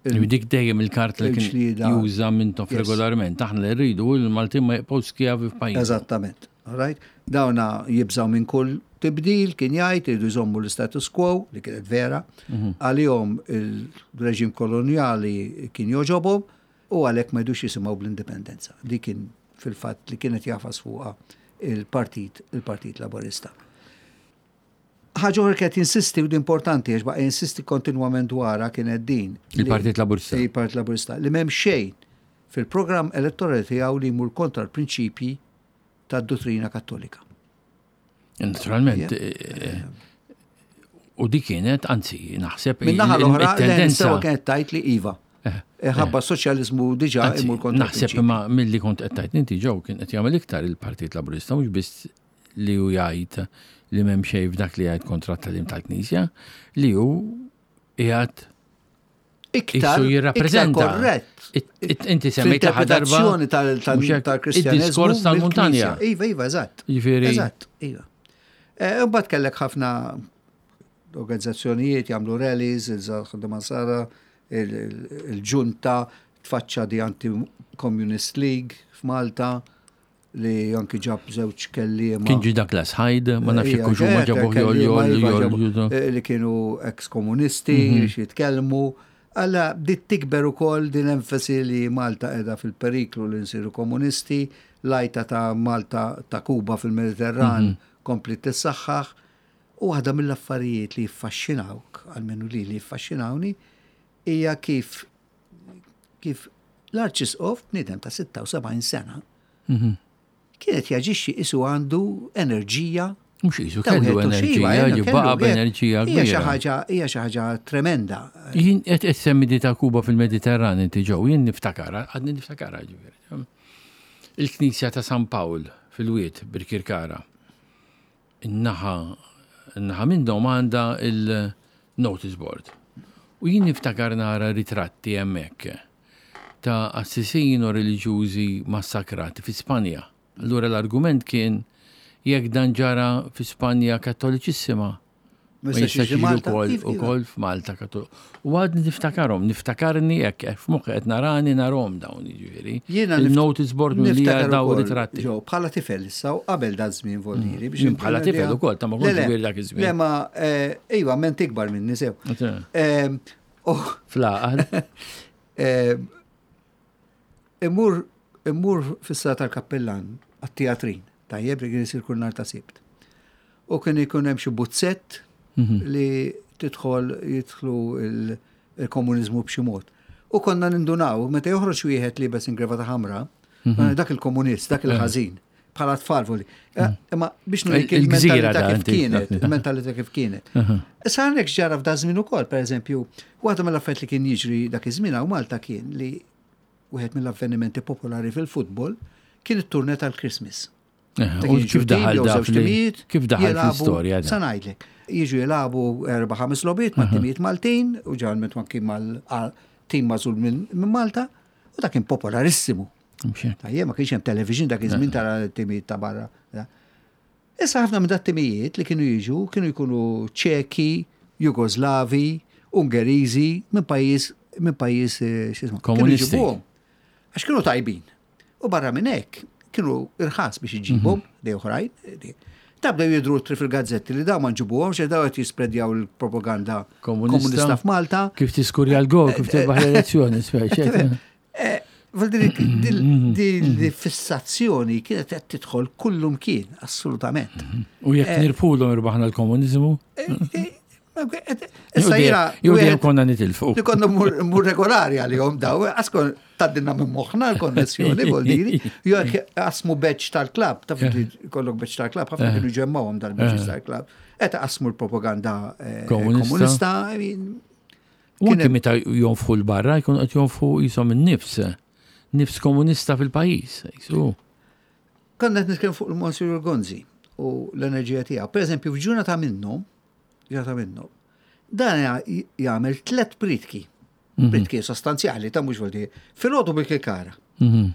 U dik dejjem il-kart li kien il-ġlieda. juża Mintoff Yes. regolarment. Aħna li rridu il-Maltin ma jibqgħux skjavi f'pajjiż. Eżattament. All right? Dawna jibżaw minn kull tibdil, kien jgħid, iridu jżommu l-status quo, li kienet vera. Għalihom il-reġim koloniali kien joġobhom u għalhekk ma jdux jisimgħu bl-indipendenza. Di kien fil-fatt li kienet jagħfas fuqha il-partit, il-Partit Laburista. Ħaġa oħra kienet jinsisti u di importanti għax baqa' jinsisti kontinwament dwarha kienet din. li- Il-Partit Laburista. Il-Partit Laburista li m'hemm xejn fil-programm elettorali tiegħu li jmur kontra l-prinċipji tad-dottrina Kattolika. Naturalment. eh, U di kienet, anzi, naħseb Min naħa l-oħra, il-tendenza. sewa kienet tajt li iva. Ħabba soċjalizmu diġà Anzi, imur kontra naħseb l-prinċipji. imma milli kont qed tgħid inti ġew kien qed jagħmel iktar il-Partit Laburista, mhux biss li hu jgħid li m'hemm xejn f'dak li jgħid kontra t-tagħlim tal-Knisja, li hu qiegħed Iktar, qisu jirrappreżenta. iktar korrett. It- it- Inti semmejt l-aħħar darba Fl-interpretazzjoni tal- tal- mhux hekk, tal-Kristjaneżmu id-diskors tal-muntanja. mill-Knisja. Iva, iva, eżatt. Jiġifieri- Eżatt, iva. Eh, Imbagħad kellek ħafna organizzazzjonijiet jagħmlu rallies, il-Ħaddiema Nsara, il-ġunta, tfaċċa di Anti-Communist League f'Malta li anki ġab żewġ kelliema. Kien ġi Douglas Hyde, ma nafx Ija, jekk huma eh, ġabuh kelliema, jol iva, jol ġabu- jol. eh, li kienu ex-komunisti Mhm. biex jitkellmu. Alla bdiet tikber ukoll din enfasi li Malta qiegħda fil-periklu li nsiru komunisti, l-għajta ta' Malta ta' Kuba fil-Mediterran Mhm. kompli tissaħħaħ. U waħda mill-affarijiet li jiffaxxinawk, almenu li li jiffaxxinawni, hija kif kif l-Arċisqof, bniedem ta' sitta u sebgħin sena, Mhm. kienet jaġixxi qisu għandu enerġija Mhux qisu ta' kellu wieħed u xi, iva, enerġija, kellu, jibbaqa' kellu, b'enerġija Hija xi kbira. ħaġa hija xi ħaġa tremenda. Jien qed qed semmi di ta' Kuba fil-Mediterran inti ġew, jien niftakara, għadni niftakara ġifieri. Il-Knisja ta' San Pawl fil-Wied Birkirkara. In-naħa in-naħa minnhom għandha il-notice board. U jien niftakar nara ritratti hemmhekk ta' qassisin u reliġjużi massakrati fi Spanja. Allura l-argument kien jekk dan ġara fi Spanja kattoliċissima, ma jistax jistax jiġi jiġi Malta. ukoll Iva, iva. ukoll f'Malta kattol. U għadni niftakarhom, niftakarni hekk hekk f'moħħi qed narani narahom dawn jiġifieri. Jiena nift- Il-notice board milli Niftakar daw ukoll, ritratti. Ġew, bħala tifel issa u qabel da żmien voldieri biex Jien bħala inkun tifel idea- ukoll, ta' ma Le, kontx le, kbir dak iż-żmien. Le ma eh, iva ment ikbar minni sew. Eh, u- Fl-aqal. eh, Immur immur fis-sala tal-kappellan għat-teatrin, tajjeb li kien isir kull nhar ta' Sibt. U kien ikun hemm xi buzzett Mhm. li tidħol jidħlu il- il-komuniżmu b'xi mod. U konna nindunaw, meta joħroġ wieħed liebes ingravata ħamra, Mhm. dak il-komunist, dak il-ħażin, bħala tfal voli. Eh, Imma biex nurik Il-gżira il-mentalità da, kif inti. kienet, il-mentalità kif kienet. Issa għandek ġara f'da żmien ukoll, pereżempju, waħda mill-affarijiet li kien jiġri dak iż-żmien hawn Malta kien li wieħed mill-avvenimenti popolari fil-futbol kien it-turne tal-Christmas. Eh, Ta' U kien kif jiġu tim daħal jew da żewġ fl- timijiet, kif daħal jilagħbu- fl-istorja da? Sa ngħidlek. Jiġu jilagħbu erba' ħames logħbiet ma' timijiet Maltin u ġalment ma kien mal-tim magħżul minn minn Malta u dak kien popolarissimu. Tajjeb, ma kienx hemm television dak iż-żmien tara t-timijiet ta' barra. Issa ħafna minn dat-timijiet li kienu jiġu kienu jkunu Ċeki, Jugoslavi, Ungeriżi, minn pajjiż minn pajjiż eh, x'ismu. Kienu Komunisti. jġibuhom. Għax kienu tajbin. U barra minn hekk kienu irħas biex iġibhom li oħrajn. Ta' bdew jidru tri fil-gazzetti li daw ma nġibuhom, xe daw qed jispredjaw il-propaganda Komunista. komunista f'Malta. Kif tiskurja l-gol, kif tirbaħ l-elezzjoni, speċi. Eh, Vuol dire, dil dil fissazzjoni kienet qed tidħol kullum kien, assolutament. U jekk nirbħulhom irbaħna l-komuniżmu, Eh, eh, Issa jiena jew dejjem wieħed konna nitilfu. li konna mur mur regolari għalihom daw, għaskon taddinna minn moħħna l-konnessjoni, vuol dire, jew jekk qasmu badge tal-klabb, taf li kollok badge tal-klabb, ħafna kienu ġemmawhom dal-badges tal-klabb, qed qasmu l-propaganda eh, Komunista. komunista, I mean, U kien anke hemm- meta jonfħu l-barra, jkun qed jonfħu jisom in-nifs, nifs komunista fil-pajjiż. Jisu. Konna qed nitkellem fuq il-Monsignor Gonzi u l-enerġija tiegħu. Per eżempju, f'ġurnata minnhom, ġurnata minnhom, dan ja- jagħmel tliet pritki. Pritki sostanzjali ta' mhux vuol dire. Filgħodu bil-Kirkara. Mhm.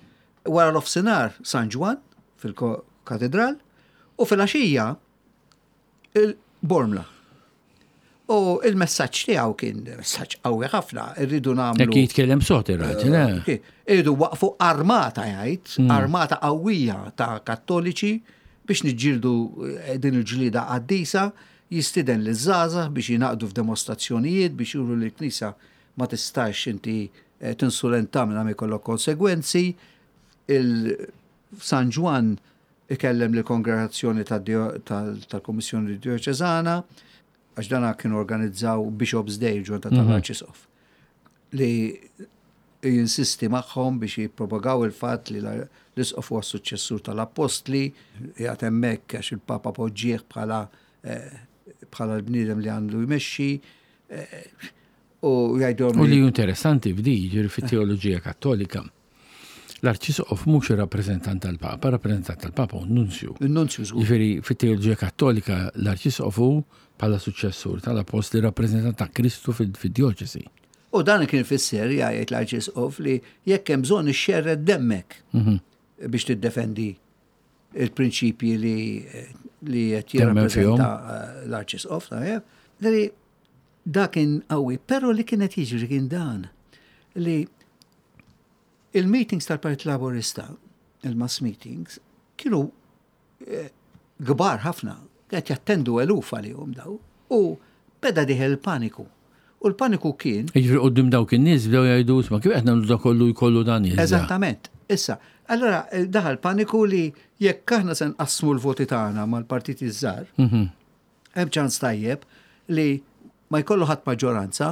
Wara l-ofsinhar San Ġwan fil-katedral u fil-għaxija il-Bormla. U il-messaġġ tiegħu kien messaġġ qawwi ħafna, irridu nagħmlu. Jekk jitkellem sot ir-raġel, eh? Okej, Irridu waqfu armata jgħid, armata qawwija ta' kattoliċi biex niġġieldu eh, din il-ġlida qaddisa, jistiden li żgħażagħ biex jingħaqdu f'demostrazzjonijiet biex juru li l-Knisja ma tistax inti eh, tinsulenta minn ma jkollok konsegwenzi. Il-San Ġwan ikellem li kongregazzjoni tal-Kommissjoni Dioċesana, għax dana kienu organizzaw Bishop's Day ġurnata tal-Arċisqof li jinsisti magħhom biex jippropagaw il-fatt li la- l-isqof huwa suċċessur tal-apostli, jgħat hemmhekk għax il-Papa poġġieħ bħala eh, bħala l-bniedem li għandu jmexxi eh, u jgħidhom U li ju interessanti f'di, ġiri fit-teoloġija kattolika. L-arċisqof mhux ir-rappreżentant tal-Papa, rappreżentant tal-Papa u nunzju. il-nunzju żgur. Ġifieri fit-teoloġija kattolika l-arċisqof hu bħala suċċessur tal-apostli rappreżentant ta' Kristu fil- fid-djoċesi. U dan kien fisser jgħid l-Arċisqof li jekk hemm bżonn ixxerred demmek biex tiddefendi il-prinċipji li li qed Temmen fihom. jirrappreżenta eh, l-Arċisqof, tajjeb. Dari dak kien qawwi, però li kien qed jiġri kien dan li il-meetings tal-Partit Laburista, il-mass meetings, kienu eh, kbar ħafna, qed jattendu eluf għalihom daw, u beda dieħel il-paniku. U l-paniku kien Jiġifieri quddiem dawk in-nies bdew jgħidu isma' kif qed nagħmlu dak kollu jkollu dan iż Eżattament. Issa, allora eh, daħal paniku li jekk aħna se nqassmu l-voti tagħna mal-partiti żgħar, Mhm. hemm ċans tajjeb li ma jkollu ħadd maġġoranza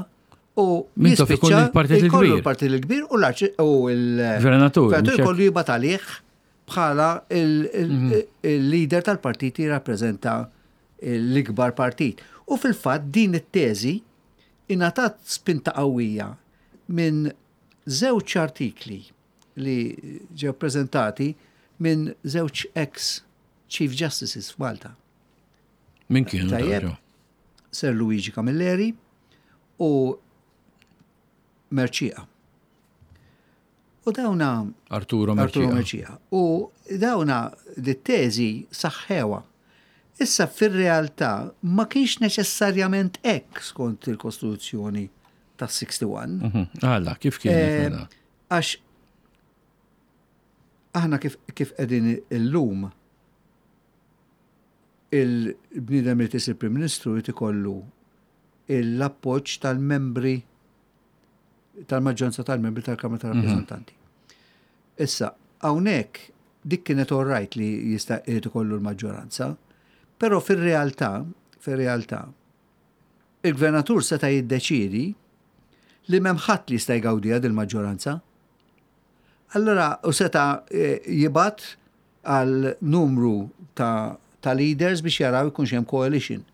u Mintoff ikun jispiċċa il-partit il-kbir. jkollu l-partit il-kbir u l-arċi u Gvernatur, il-gvernatur mhux hekk? jkollu jibgħat għalih bħala il- Mhm. il- il-leader tal-partit jirrappreżenta l-ikbar partit. U fil-fatt din it-teżi ingħatat spinta qawwija minn żewġ artikli li ġew prezentati minn żewġ ex Chief Justices f'Malta. Min kienu Tajjeb. daw? Sir Luigi Camilleri u Merċija. U dawna Arturo Arturo Merċija. Merċija. U dawna di teżi saħħewa. Issa fir-realtà ma kienx neċessarjament hekk skont il-Kostituzzjoni tas-sitta u sittin. Mhm. Għalla, kif kienet Eh, mela? Għax aħna kif kif qegħdin illum il-bniedem li tisir Prim Ministru jrid ikollu l-appoġġ tal-membri tal-maġġoranza tal-membri tal-Kamra tal-Rappreżentanti. Issa, hawnhekk dik kienet all right li jista' jrid ikollu l-maġġoranza, però fir-realtà, fir-realtà, il-gvernatur seta' jiddeċiedi li m'hemm ħadd li jista' jgawdiha din il-maġġoranza. Allora, u seta' eh, jibgħat għal numru ta', ta' leaders biex jaraw ikunx hemm coalition.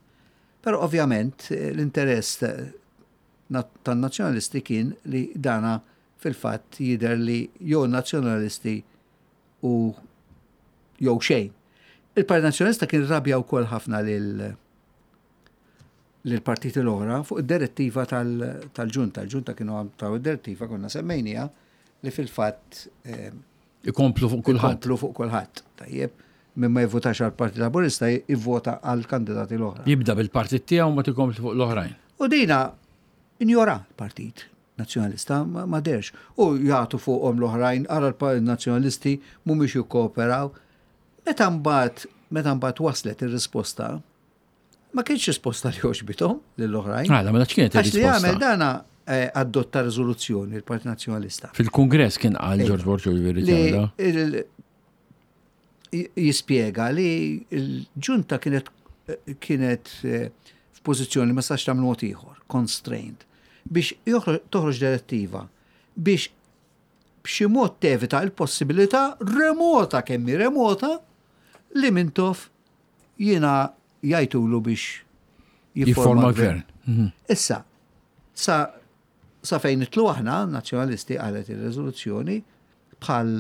Però ovvjament eh, l-interess eh, na- tan-nazzjonalisti kien li dana fil-fatt jidher li jew nazzjonalisti u jew xejn. Il-Partit Nazzjonalista kien rabja wkoll ħafna lil lill-partiti l-oħra fuq id-direttiva tal- tal-ġunta. Il-ġunta kienu taw id-direttiva konna semmejnija li fil-fatt eh, Ikomplu fuq kulħadd. Ikomplu fuq kulħadd. Tajjeb, minn ma jivvotax għal Partit Laburista jivvota għal kandidati l-oħra. Jibda bil-partit tiegħu ma tikompli fuq l-oħrajn. U dina injora l-Partit Nazzjonalista ma ma derx. U jagħtu fuqhom l-oħrajn, ara l-Nazzjonalisti mhumiex jikkooperaw. Meta mbagħad meta mbagħad waslet ir-risposta, ma kienx risposta li għoġbithom lill-oħrajn. Għala, mela x'kienet Għax li għamel ir-risposta? dana eh, adotta riżoluzzjoni il-Partit Nazzjonalista. Fil-Kungress kien qal George Borg Olivier Li ġewla. il- j- jispjega li l-ġunta kienet kienet eh, f'pożizzjoni ma sax tagħmel mod ieħor, constrained, biex joħroġ- toħroġ direttiva biex b'xi mod tevita l-possibilità remota kemm hi remota li Mintoff jiena jgħidulu biex Jifforma gvern. Mhm. Issa, sa, sa fejn nidħlu aħna, nazzjonalisti qalet il-rezoluzzjoni, bħal,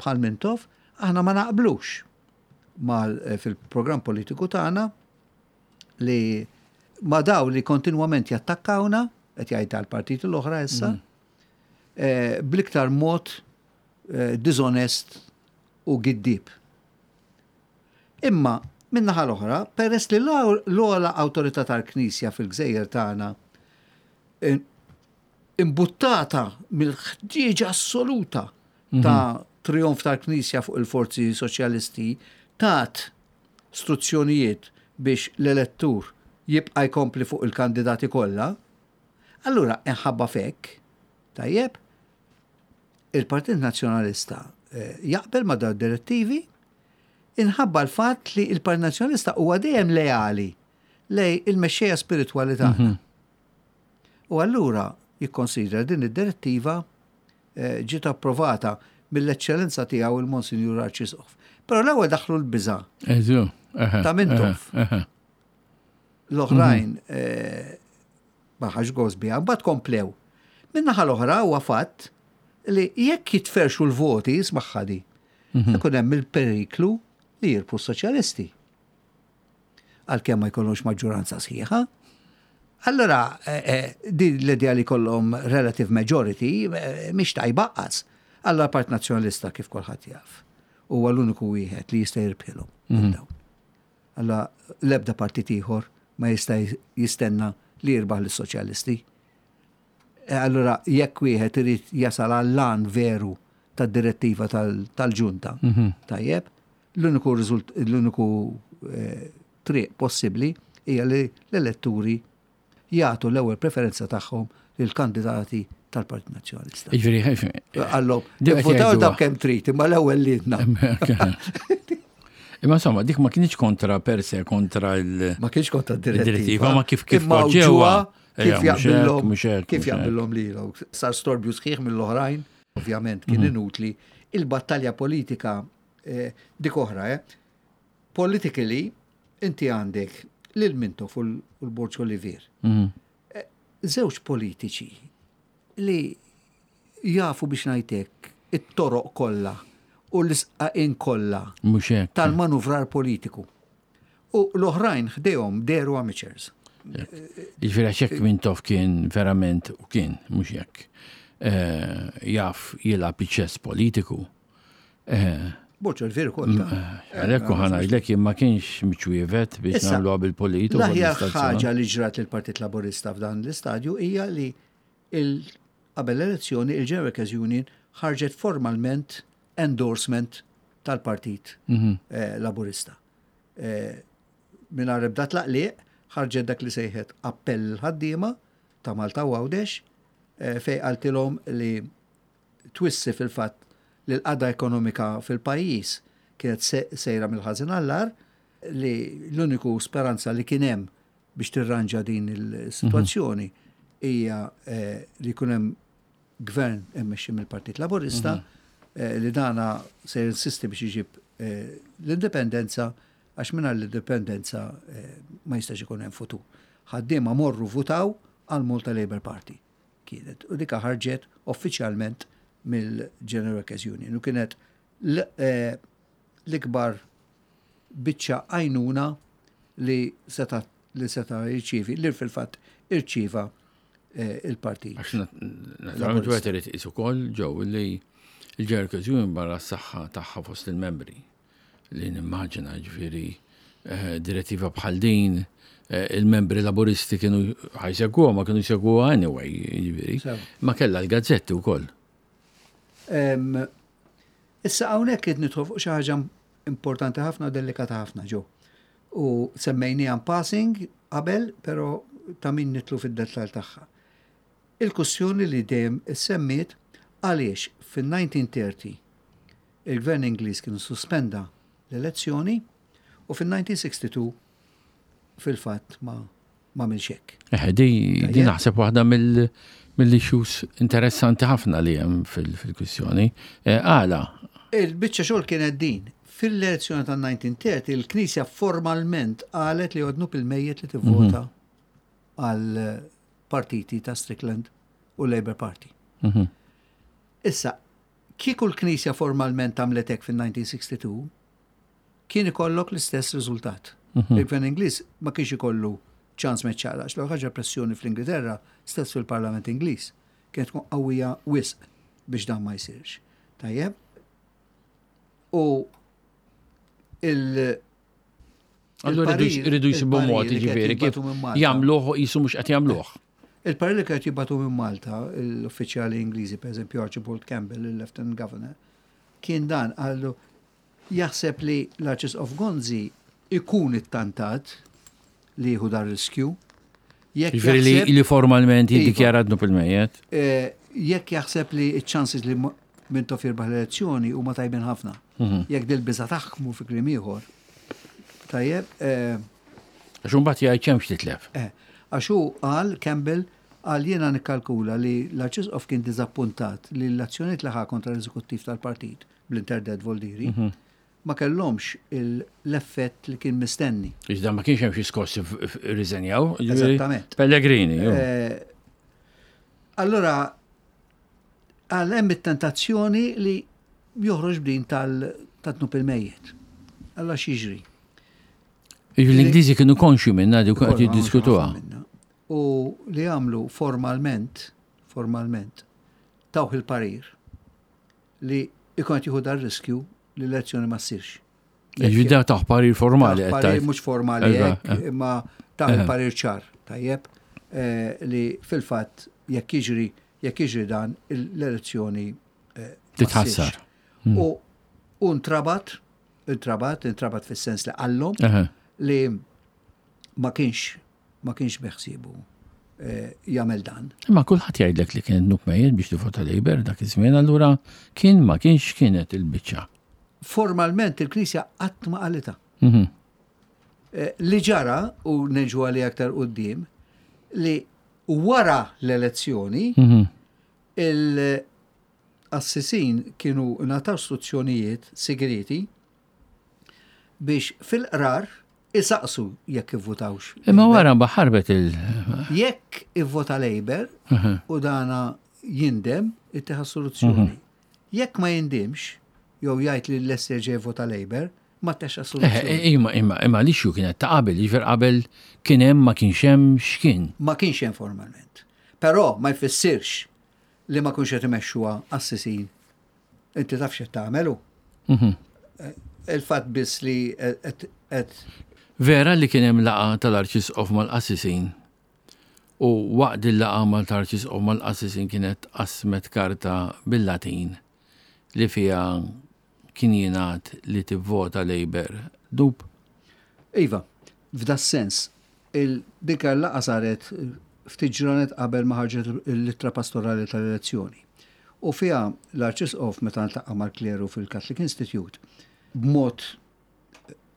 bħal Mintoff, aħna ma naqblux mal, eh, fil-programm politiku tagħna li ma daw li kontinwament jattakkawna, qed jgħid tal-partiti l-oħra issa, eh, bl-iktar mod eh, dizonest u giddib. Imma min-naħa l-oħra, peress li l-ogħla awtorità tal-Knisja fil-Gżejjer tagħna eh, imbuttata mill-ħtieġa assoluta ta' trionf tal-Knisja fuq il-forzi soċjalisti tat struzzjonijiet biex l-elettur jibqa' jkompli fuq il-kandidati kollha, allura inħabba fek, tajjeb, il-Partit Nazzjonalista eh, jaqbel ma' dawn direttivi inħabba l-fatt li il-Partit Nazzjonalista huwa dejjem leali lej il-mexxejja spiritwali tagħna. U allura jikkonsidra din id-direttiva eh, ġiet approvata mill-eċċellenza tiegħu il-Monsinjur Arċisqof. Però l-ewwel daħlu l-biża' Eżu. eħe, Ta' Mintoff. eħe, eħe. l-oħrajn eh, ma ħax gost biha, mbagħad komplew. Min-naħa l-oħra huwa fatt li jekk jitferxu l-voti, ismagħha di, ikun hemm il-periklu li jirbħu s-soċjalisti. Għalkemm ma jkollhomx maġġoranza sħiħa. Allora, eh, eh, din l-idea li kollhom relative majority eh, mhix tajba qas. Allora Part Nazzjonalista kif kulħadd jaf. Huwa l-uniku wieħed li jista' jirbħilhom. dawn. Alla l-ebda partit ieħor ma jista' jistenna li jirbaħ lis-soċjalisti. E Allora jekk wieħed irid jasal għall-għan veru tad-direttiva tal- tal-ġunta, tajjeb, l-uniku riżult l-uniku eh, triq possibbli hija li l-elettori jagħtu l-ewwel preferenza tagħhom lill-kandidati tal-Partit Nazzjonalista. Jiġifieri, ħef- Għallhom, Dik qed votaw jgħiduha. dak kemm trid, imma l-ewwel lilna. Imma insomma, dik ma kienx kontra per se, kontra il- Ma kienx kontra d-direttiva. Id-direttiva, ma kif- kif Imma poġġewha. ġewwa Ejja, kif mhux hekk, jaqbillhom mhux hekk, kif mhux hekk. jaqbillhom lilhom. Sar storbju sħiħ mill-oħrajn, ovvjament kien Mhm. inutli. Il-battalja politika eh, dik oħra, eh. Politically, inti għandek lil Mintoff u l- u l-Borg Olivier. Mhm. Żewġ politiċi li jafu biex ngħidlek it-toroq kollha u l-isqaqin kollha Mhux hekk. tal-manuvrar politiku. U l-oħrajn ħdejhom deru amateurs. Jiġifieri għax hekk Mintoff kien verament u kien, mhux hekk, eh, jaf jilgħab iċ-ċess politiku. Eh, Borg Olivier ukoll. ta' Għalhekk u ħa ngħidlek jien ma kienx miċwievet biex Issa, nagħmluha bil-politiku. L-aħjar ħaġa li ġrat lill-Partit Laburista f'dan l-istadju hija li il- qabel l-elezzjoni il-General Workers Union ħarġet formalment endorsement tal-Partit eh, Laburista. Eh, Mingħajr ebda tlaqliq ħarġet dak li sejħet appell ħaddiema ta' Malta u Għawdex eh, fej qaltilhom li twissi fil-fatt li l-qagħda ekonomika fil-pajjiż kienet se- sejra mill-ħażin għall-agħar li l-uniku speranza li kien hemm biex tirranġa din il-sitwazzjoni hija eh, li jkun hemm gvern immexxi mill-Partit Laburista eh, li dana se jinsisti biex iġib eh, l-indipendenza għax mingħajr l-indipendenza eh, ma jistax ikun hemm futur. Ħaddiema morru votaw għal Malta Labour Party kienet. U dika ħarġet uffiċjalment mill-General Workers Union. U kienet l- eh, l-ikbar biċċa għajnuna li seta li seta jirċivi, li fil-fatt irċiva eh, il-partit. Għax naturalment wieħed irid iqis ukoll ġew li il-Jericho's Union barra s-saħħa tagħha fost il-membri li nimmaġina, ġifieri, eh, direttiva bħal din, eh, il-membri Laburisti kienu ħa jsegwuha, ma kienu jsegwuha anyway, ġifieri. Sew. Ma kellha l-gazzetti wkoll. Em, Issa hawnhekk qed nidħol fuq xi ħaġa importanti ħafna u delikata ħafna ġew. U semmejniha in passing qabel, però ta' min nidħlu fid-dettall tagħha. Il-kwistjoni li dejjem issemmiet għaliex fin-elf disa' mija u tletin il-Gvern Ingliż kienu suspenda l-elezzjoni u fin-elf disa' mija u sittaw disgħin fil-fatt ma ma għamilx hekk. Eh, di, di Tajjeb. naħseb waħda mill mill-issues interessanti ħafna li hemm fil- fil-kwistjoni. Eh, Għala, Il-biċċa xogħol kienet din. Fil-elezzjoni tal-elf disa' mija u tletin il-Knisja formalment qalet li dnub il-mejjet li tivvota għal partiti ta' Strickland u Labour Party. Mhm. Issa, kieku l-Knisja formalment għamlet hekk fil-elf disa' mija u sitta u sittin, kien ikollok l-istess riżultat. Il-Gvern Ingliż ma kienx ikollu ċans ma jċaqlaqx. L ħaġa, pressjoni fl-Ingilterra, stess fil-Parlament Ingliż, kienet tkun qawwija wisq biex dan ma jsirx. Tajjeb? U il- Allura il-parir- iridu jsibu il-parir mod, li kienet ġifieri, kif jibagħtu minn Malta. jagħmluh jisu mhux qed jagħmluh. Il-parir li kienet jibagħtu minn Malta, l-uffiċjali Ingliżi, per eżempju Archibald Campbell, il-Lieutenant Governor, kien dan, għallu jaħseb li l-Arċisqof Gonzi ikun ittantat li jieħu dar riskju. Jekk Ġifieri li, jaħseb- li formalment Iva. jiddikjara dnub il-mejjet. eh, jekk jaħseb li ċ-chances li mo- Mintoff jirbaħ l-elezzjoni huma tajbin ħafna. Mhm. Jekk dil-biża taħkmu fi kliem ieħor. Tajjeb, eh, Għax imbagħad jgħid x'hemm titlef. Eh, għax hu qal, Campbell, qal jiena nikkalkula li l-Arċisqof kien diżappuntat li l-azzjoniet li ħa kontra l-eżekuttiv tal-partit bl-interdett Voldiri ma kellhomx il- l-effett li kien mistenni. Iżda ma kienx hemm xi skossi rriżenjaw. Ġifieri, Eżattament. Pellegrini. ju. Eh, Allora, għal hemm it-tentazzjoni li joħroġ b'din tal-dnub il-mejjet. Allora x'jiġri? Ġifieri l-Ingliżi kienu konxi minna di qed jiddiskutuha. Minna. U li għamlu formalment, formalment, tawh il-parir li ikun qed jieħu dar riskju li l-elezzjoni ma ssirx. Ġifieri da taħ parir formali Taħ qed parir tgħid. mhux formali Iva, hekk, eh. imma taħ Eh. il-parir ċar, tajjeb, eh, li fil-fatt jekk jiġri jekk jiġri dan l-elezzjoni eh, ma Titħassar. ssirx. U u ntrabat, intrabat, intrabat fis-sens li qallhom Eħe. li ma kienx ma kienx beħsiebu eh, jagħmel dan. Imma kulħadd jgħidlek li kien dnub mejjet biex tivvota Labour dak iż-żmien, allura kien ma kienx kienet il-biċċa. Formalment il-Knisja qatt ma qalitha. Mhm. Eh, Li ġara, u neġu għali aktar quddiem, li wara l-elezzjoni Mhm. il-qassisin kienu ngħataw istruzzjonijiet segreti biex fil-qrar isaqsu jekk ivvotawx. Imma wara ħarbet il- Jekk ivvota Labour Mhm. u dana jindem, ittieħ assoluzzjoni. Jekk ma jindimx, jew jgħid li l-lest jerġa' jivvota Labour, ma tteħx Eh, assoluzzjoni. Imma imma imma l-issue kienet ta' qabel, ġifier qabel kien hemm, ma kienx hemm, x'kien. Ma kienx hemm formalment. Però ma jfissirx li ma kienx qed imexxuha qassisin. Inti taf x'qed tagħmelu. Mhm. Il-fatt biss li qed qed Vera li kien hemm laqgħa tal-Arċisqof mal-qassisin u waqt il-laqgħa mal-Arċisqof mal-qassisin kienet qasmet karta bil-Latin li fiha kien jingħad li tivvota Labour dnub. Iva, f'da sens, il-dik il-laqgħa saret ftit ġranet qabel ma ħarġet l-ittra pastorali tal-elezzjoni. U fiha l-Arċisqof meta ltaqa' mal-kleru fil-Catholic Institute b'mod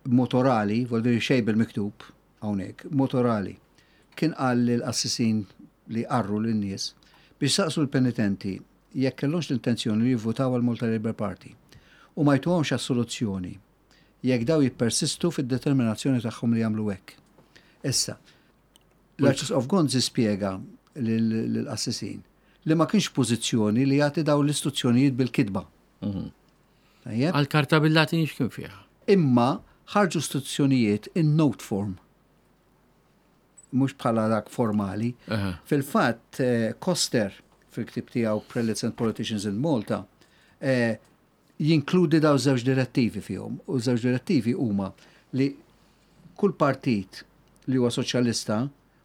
b'mod orali, vuol dire xejn bil-miktub hawnhekk, mod orali, kien qal lill-qassisin li qarru lin-nies biex saqsu l-penitenti jekk kellhomx l-intenzjoni li jivvotaw għal Malta Labour Party u ma jtuhomx assoluzzjoni jekk daw jippersistu fid-determinazzjoni tagħhom li jagħmlu hekk. Issa, l-Arċisqof Gonzi spjega lill-qassisin li ma kienx pożizzjoni li jagħti daw l-istruzzjonijiet bil-kitba. Tajjeb? Għal-karta bil-Latin x'kien fiha? Imma ħarġu istruzzjonijiet in note form. mhux bħala dak formali. Aha. Fil-fatt, eh, Koster, fil-ktib tiegħu Prelates and Politicians in Malta, eh, jinkludi daw żewġ direttivi fihom. U żewġ direttivi huma li kull partit li huwa soċjalista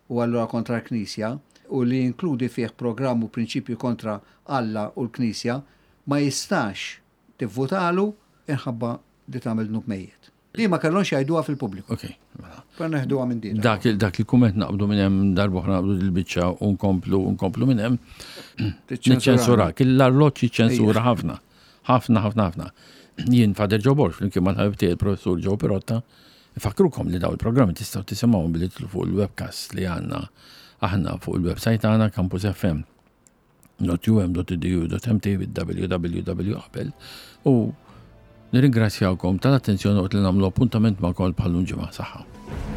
u allura kontra l-Knisja u li jinkludi fih programm u prinċipju kontra Alla u l-Knisja ma jistax tivvotalu inħabba li tagħmel dnub mejjet. Li ma kellhomx jgħiduha fil-pubbliku. Ok, mela. Per neħduha minn din. Dak il- dak il-kumment naqbdu minn hemm, darb'oħra naqbdu il-biċċa u nkomplu nkomplu minn hemm. Niċċensurak. L-arloġġ jiċċensura ħafna. Ħafna, ħafna, ħafna. Jien Father Joe Borg, flimkien mal-ħabib tiegħi il-professur Joe Pirotta, fakrukom li daw il-programmi tistgħu tisimgħu billi tidħlu fuq il-webcast li għandna aħna fuq il-website tagħna campus F M dot U M dot edu dot M T www qabel u nirringrazzjawkom tal-attenzjoni u li nagħmlu appuntament magħkom bħal ġimgħa. Saħħa.